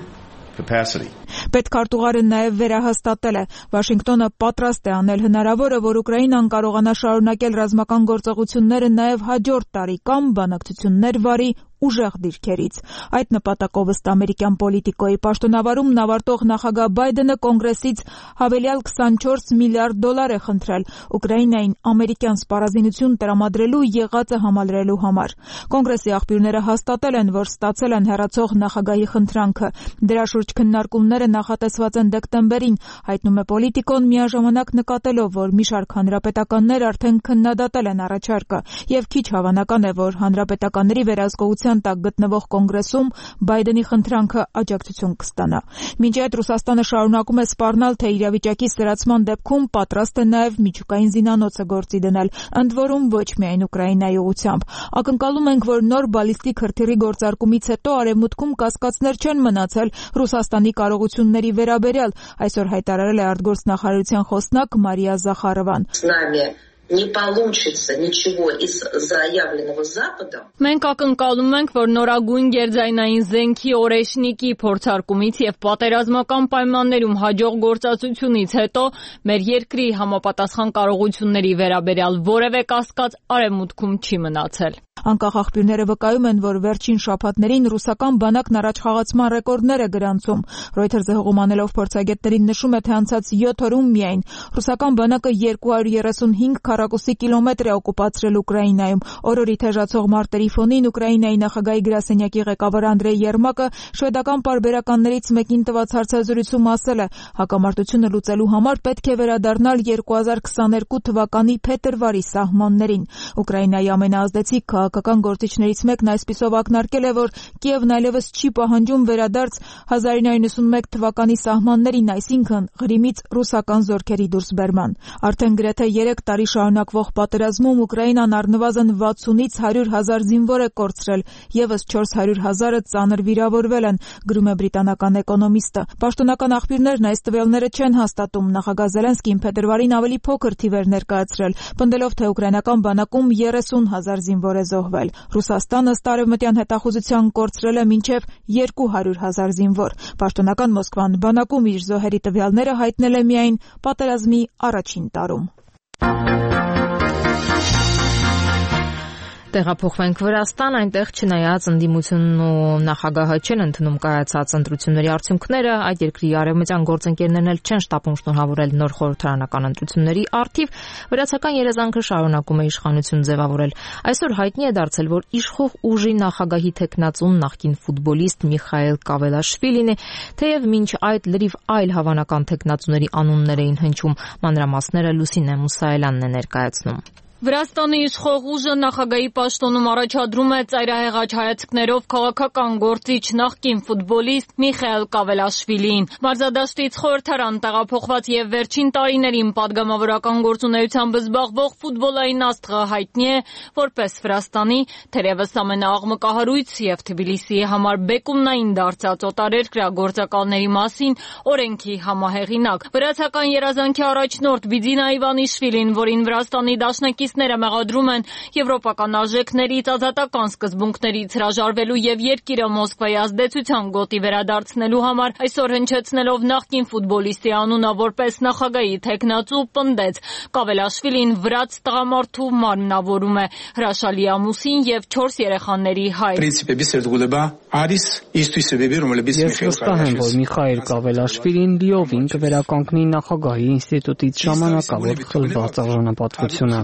capacity. Պետքարտուղարը նաև վերահաստատել է. Վաշինգտոնը պատրաստ է անել հնարավորը, որ Ուկրաինան կարողանա շարունակել ռազմական գործողությունները նաև հաջորդ տարի կամ բանակցություններ վարի ուժեղ դիրքերից։ Այդ նպատակով ըստ ամերիկյան պոլիտիկոյի պաշտոնավարումն ավարտող նախագահ Բայդենը կոնգրեսից հավելյալ քսանչորս միլիարդ դոլար է խնդրել Ուկրաինային ամերիկյան սպառազինություն տրամադրելու եղածը համալրելու համար։ Կոնգրեսի աղբյուրները հաստատել են, որ ստացել են հեռացող նախագահի խնդրանքը։ Դրա շուրջ քննարկումները նախատեսված են դեկտեմբերին, հայտնում է պոլիտիկոն, միաժամանակ նկատելով, որ մի շարք հանրապետականներ արդեն քննադատել են առաջարկը, եւ քիչ հավանական է, որ հանրապետականների վերահսկողության տակ գտնվող կոնգրեսում Բայդենի խնդրանքը աջակցություն կստանա։ Մինչ այդ Ռուսաստանը շարունակում է սպառնալ, թե իրավիճակի սրացման դեպքում պատրաստ է նաև միջուկային զինանոցը գործի դնել, ընդ որում ոչ միայն Ուկրաինայի ուղղությամբ։ Ակնկալում ենք, որ նոր բալիստիկ հրթիռի գործարկումից հետո արևմուտքում կասկածներ չեն մնացել Ռուսաստանի կարողությունների վերաբերյալ, այսօր հայտարարել է արտգործնախարարության խոսնակ Մարիա Զախարովան։ Не получится ничего из заявленного Западом. Մենք ակնկալում ենք, որ նորագույն գերձայնային զենքի օրեշնիկի փորձարկումից եւ պատերազմական պայմաններում հաջող գործածությունից հետո մեր երկրի համապատասխան կարողությունների վերաբերյալ որևէ կասկած արևմուտքում չի մնացել։ Անկախ աղբյուրները վկայում են, որ վերջին շաբաթներին ռուսական բանակն առաջխաղացման ռեկորդներ է գրանցում։ Reuters-ը հողմանելով փորձագետներին նշում է, թե անցած յոթ օրում միայն ռուսական բանակը երկու հարյուր երեսունհինգ քառակուսի կիլոմետր է օկուպացրել Ուկրաինայում։ Օրորի թեժացող մարտերի ֆոնին Ուկրաինայի նախագահի գրասենյակի ղեկավար Անդրեյ Երմակը շվեդական պարբերականներից մեկին տված հարցազրույցում ասել է. հակամարտությունը լուծելու համար պետք է վերադառնալ երկու հազար քսաներկու թվականի փետրվարի սահմաններին։ Ուկրաինայի ամենաազդեցիկ քաղաքական գործիչներից մեկն այսպիսով ակնարկել է, որ Կիևն այլևս չի պահանջում վերադարձ հազար ինը հարյուր նվաթ մեկ թվականի սահմաններին, այսինքն Ղրիմից ռուսական զորքերի դուրսբերման։ Արդեն գրեթե երեք տարի շարունակվող պատերազմում Ուկրաինան առնվազն վաթսունից հարյուր հազար զինվոր է կորցրել, եւս չորս հարյուր հազարը ծանր վիրավորվել են, գրում է բրիտանական էկոնոմիստը։ Պաշտոնական աղբյուրներն այս տվյալները չեն հաստատում։ Նախագահ Զելենսկին փետրվարին ավելի փոքր թիվեր ներկայացրել, պնդելով, թե ուկրաինական բանակում երեսուն հազար զինվոր է զոհվել։ Ռուսաստանը ըստ արևմտյան հետախուզության կորցրել է մինչև երկու հարյուր հազար զինվոր։ Պաշտոնական Մոսկվան բանակում իր զոհերի տվյալները հայտնել է միայն պատերազմի առաջին տարում։ Տեղափոխվենք Վրաստան, այնտեղ չնայած ընդդիմությունն ու նախագահը չեն ընդունում կայացած ընտրությունների արդյունքները, այդ երկրի արևմտյան գործընկերներն էլ չեն շտապում շնորհավորել նոր խորհրդարանական ընտրությունների առթիվ, վրացական երազանքը շարունակում է իշխանություն ձևավորել։ Այսօր հայտնի է դարձել, որ իշխող ուժի նախագահի թեկնածուն նախկին ֆուտբոլիստ Միխայել Կավելաշվիլին է, թեև մինչ այդ լրիվ այլ հավանական թեկնածուների անուններ էին հնչում, մանրամասները Լուսինե Մուսայելյանն է ներկայացնում։ Վրաստանի իշխող ուժը նախագահի պաշտոնում առաջադրում է ծայրահեղաչ հայացքներով քաղաքական գործիչ նախկին ֆուտբոլիստ Միխայել Կավելաշվիլիին։ Մարզադաշտից խորհրդարան տեղափոխված եւ վերջին տարիներին падգամավորական գործունեությամբ զբաղվող ֆուտբոլային աստղը հայտնի է որպես Վրաստանի թերևս ամենաաղմկահարույց եւ Թբիլիսիի համար բեկումնային դարձած օտարերկրյա գործակալների մասին օրենքի համահեղինակ։ Վրացական երազանքի առաջնորդ Բիձինա Իվանիշվիլին, որին Վրաստանի դաշնակիցները մեղադրում են եվրոպական արժեքներից ազատական սկզբունքներից հրաժարվելու եւ երկիրը Մոսկվայի ազդեցության գոտի վերադարձնելու համար այսօր հնչեցնելով նախկին ֆուտբոլիստի անունը որպես նախագահի թեկնածու պնդեց Կավելաշվիլին վրաց տղամարդու մարմնավորում է, հրաշալի ամուսին եւ չորս երեխաների հայր։ Ես վստահ եմ, որ Միխայել Կավելաշվիլին լիովին կվերականգնի նախագահի ինստիտուտից ժամանակավոր խլված արժանապատվությունը։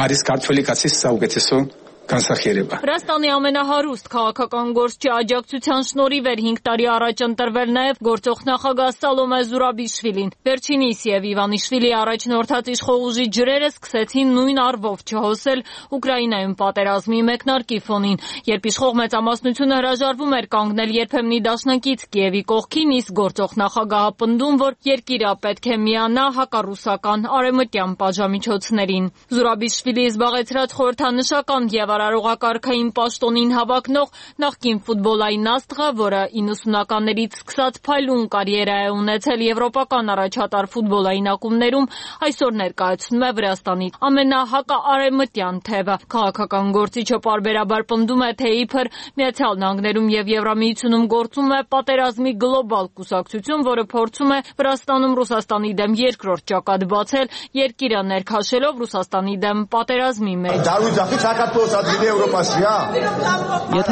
Արիս կարտվելիկացի սաուգեցեսոն Վրաստանի ամենահարուստ քաղաքական գործչի աջակցության շնորհիվ էր հինգ տարի առաջ ընտրվել նաև գործող նախագահ Սալոմե Զուրաբիշվիլին։ Վերջինիս եւ Իվանիշվիլի առաջնորդած իշխող ուժի ջրերը սկսեցին նույն առվով չհոսել Ուկրաինայում պատերազմի մեկնարկի ֆոնին, երբ իշխող մեծամասնությունը հրաժարվում էր կանգնել երբեմնի դաշնակից Կիևի կողքին, իսկ գործող նախագահը պնդում, որ երկիրը պետք է միանա հակառուսական արևմտյան պատժամիջոցներին։ Զուրաբիշվիլի զբաղեցրած խորհրդանշական եւ արարողակարգային պաշտոնին հավակնող նախկին ֆուտբոլային աստղը, որը իննսունականներից սկսած փայլուն կարիերա է ունեցել եվրոպական առաջատար ֆուտբոլային ակումբներում, այսօր ներկայացնում է Վրաստանի ամենահակաարևմտյան թևը։ Քաղաքական գործիչը պարբերաբար պնդում է, թե իբր Միացյալ Նահանգներում եւ Եվրամիությունում գործում է պատերազմի գլոբալ կուսակցություն, որը փորձում է Վրաստանում Ռուսաստանի դեմ երկրորդ ճակատ բացել, երկիրը ներքաշելով Ռուսաստանի դեմ պատերազմի մեջ։ Եթե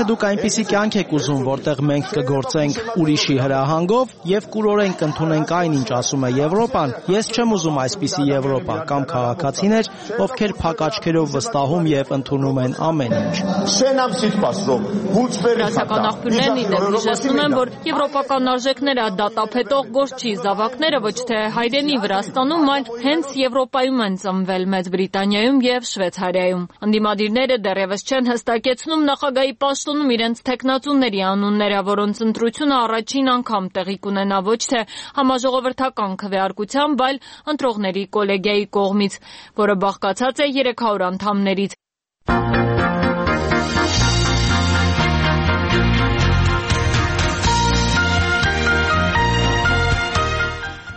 դուք այնպիսի կյանք եք ուզում, որտեղ մենք կգործենք ուրիշի հրահանգով եւ կուրորեն կընդունենք այն, ինչ ասում է Եվրոպան, ես չեմ ուզում այսպիսի Եվրոպա կամ քաղաքացիներ, ովքեր փակ աչքերով վստահում եւ ընդունում են ամեն ինչ։ Վրացական աղբյուրներն ի դեպ հիշեցնում են, որ եվրոպական արժեքները դատապետող գործչի զավակները ոչ թե հայրենի Վրաստանում, այլ հենց Եվրոպայում են ծնվել, Մեծ Բրիտանիայում եւ Շվեյցարիայում։ Ընդդիմադիրները դեռևս չեն հստակեցնում նախագահի պաշտոնում իրենց թեկնածուների անունները, որոնց ընտրությունը առաջին անգամ տեղի կունենա ոչ թե համաժողովրդական քվեարկությամբ, այլ ընտրողների կոլեգիայի կողմից, որը բաղկացած է երեք հարյուր անդամներից։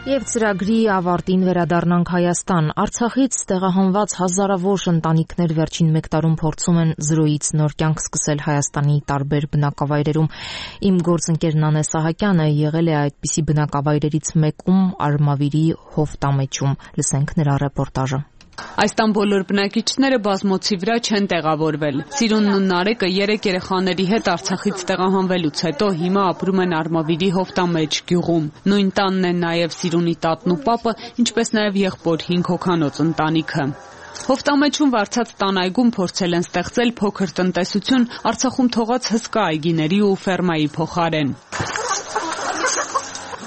Եվ ծրագրի ավարտին վերադառնանք Հայաստան։ Արցախից տեղահանված հազարավոր ընտանիքներ վերջին մեկ տարում փորձում են զրոյից նոր կյանք սկսել Հայաստանի տարբեր բնակավայրերում։ Իմ գործընկեր Նանե Սահակյանը եղել է այդպիսի բնակավայրերից մեկում Արմավիրի Հովտամեջում։ Լսենք նրա ռեպորտաժը։ Այս տան բոլոր բնակիչները բազմոցի վրա չեն տեղավորվել։ Սիրունն ու Նարեկը երեք երեխաների հետ Արցախից տեղահանվելուց հետո հիմա ապրում են Արմավիրի Հովտամեջ գյուղում։ Նույն տանն են նաև Սիրունի տատն ու պապը, ինչպես նաև եղբոր հինգ հոգանոց ընտանիքը։ Հովտամեջում վարձած տանայգում փորձել են ստեղծել փոքր տնտեսություն Արցախում թողած հսկա այգիների ու ֆերմայի փոխարեն։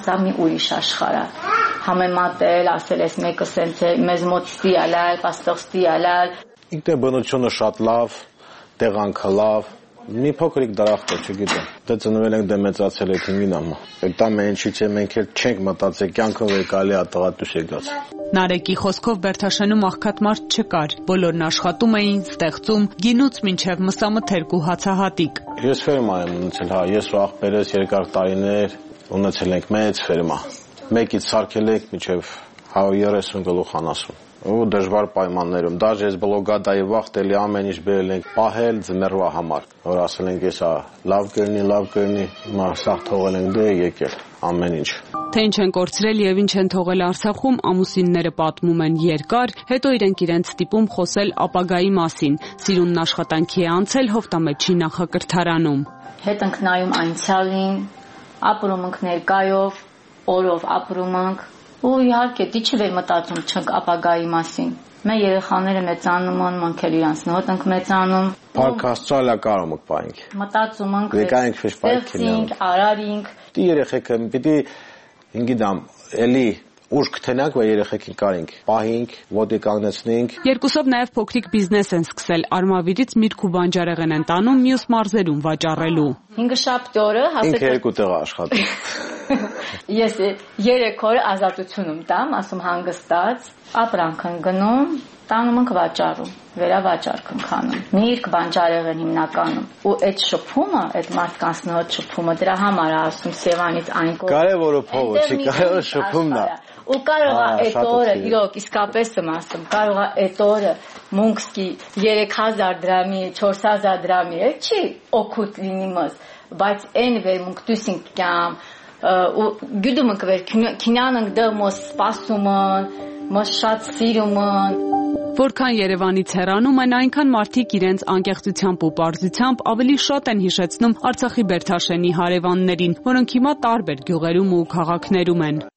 Սա մի ուրիշ աշխարհ է։ Համեմատել, ասել ես մեկը սենց է, մեզ մոտ ստիալալ, պաստող ստիալալ։ Ինքնաբնությունը շատ լավ, տեղանքը լավ, մի փոքրիկ դրախտ է, չգիտեմ։ Դե ծնվել ենք, դե մեծացել եք իմին ամա։ Այդ ամեն ինչից է մենք էլ չենք մտածել, կյանքով եկալի է տղատուս եկած։ Նարեկի խոսքով Բերթաշենում աղքատ մարդ չկար, բոլորն աշխատում էին, ստեղծում, գինուց մինչև մսամթերք ու հացահատիկ։ Ես ֆերմա եմ ունեցել, հա, ես ու աղբերս երկար տարիներ ունեցել ենք մեծ ֆերմա։ Մեկից սարքել եք մինչև երեսուն գլուխ անասուն։ Ու դժվար պայմաններում, դաժե ես բլոգադայի վախտելի ամեն ինչ բերել ենք պահել ձմեռվա համար, որ ասել ենք եսա լավ կերնի, լավ կերնի, հիմա սաղ թողել ենք դե եկել ամեն ինչ։ Թե ինչ են կորցրել եւ ինչ են թողել Արցախում, ամուսինները պատմում են երկար, հետո իրենք իրենց ստիպում խոսել ապագայի մասին։ Սիրունն աշխատանքի է անցել Հովտամեջի նախակրթարանում։ Հետ ենք նայում անցյալին, ապրում ենք ներկայով, օրով ապրում ենք ու իհարկե դիչև է մտածում չենք ապագայի մասին։ Մեր երեխաները մեծանում են, մենք էլ իրանց նոտ ենք մեծանում։ Փառք Աստծո կարում եք պայենք։ Մտածում ենք, ստեղծենք, արարինք։ Դի երեխեքը պիտի ինգիդամ էլի ուշ կթենանք, որ երեխեքին կարինք, պահինք, ոտի կանգնեցնենք։ Երկուսով նաև փոքրիկ բիզնես են սկսել։ Արմավիրից միրգ ու բանջարեղեն են տանում մյուս մարզերում վաճառելու։ Հինգշաբթի օրը հասել ինքը երկու տեղ աշխատի։ Ես երեք օր ազատությունում տամ, ասում հանգստած, ապրանք են գնում, տանում ենք վաճառում, վերավաճառ կնքանում։ Միրգ, բանջարեղեն հիմնականում։ Ու այդ շփումը, այդ մարդկանց նոր շփումը դրա համար է ասում Սևանից այն կողմ։ Կարևորը փողը չի, կարևորը շփումն է։ Ու կարող է այդ օրը, իրոք, իսկապես եմ ասում, կարող է այդ օրը մունքսկի երեք հազար դրամի, չորս հազար դրամի, չի օգուտ լինի մեզ, բայց այն վերմունք դուսինք կամ ու գյուդումը կվեր քինանանք դեռ մոս սպասում են, մոս շատ սիրում են։ Որքան Երևանից հեռանում են, այնքան մարդիկ իրենց անկեղծությամբ ու պարզությամբ ավելի շատ են հիշեցնում Արցախի Բերթաշենի հարևաններին, որոնք հիմա տարբեր գյուղերում ու քաղաքներում են։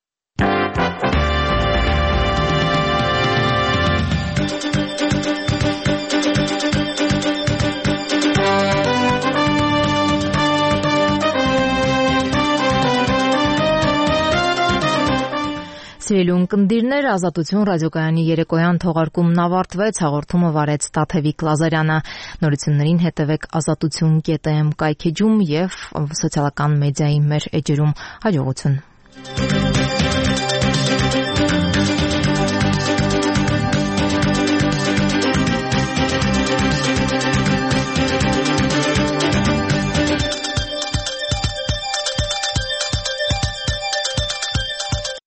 Սիրելի ունկնդիրներ, Ազատություն ռադիոկայանի երեկոյան թողարկումն ավարտվեց, հաղորդումը վարեց Տաթևիկ Լազարյանը։ Նորություններին հետևեք ազատություն կետ էմ կայքեջում եւ սոցիալական մեդիայի մեր էջերում։ Հաջողություն։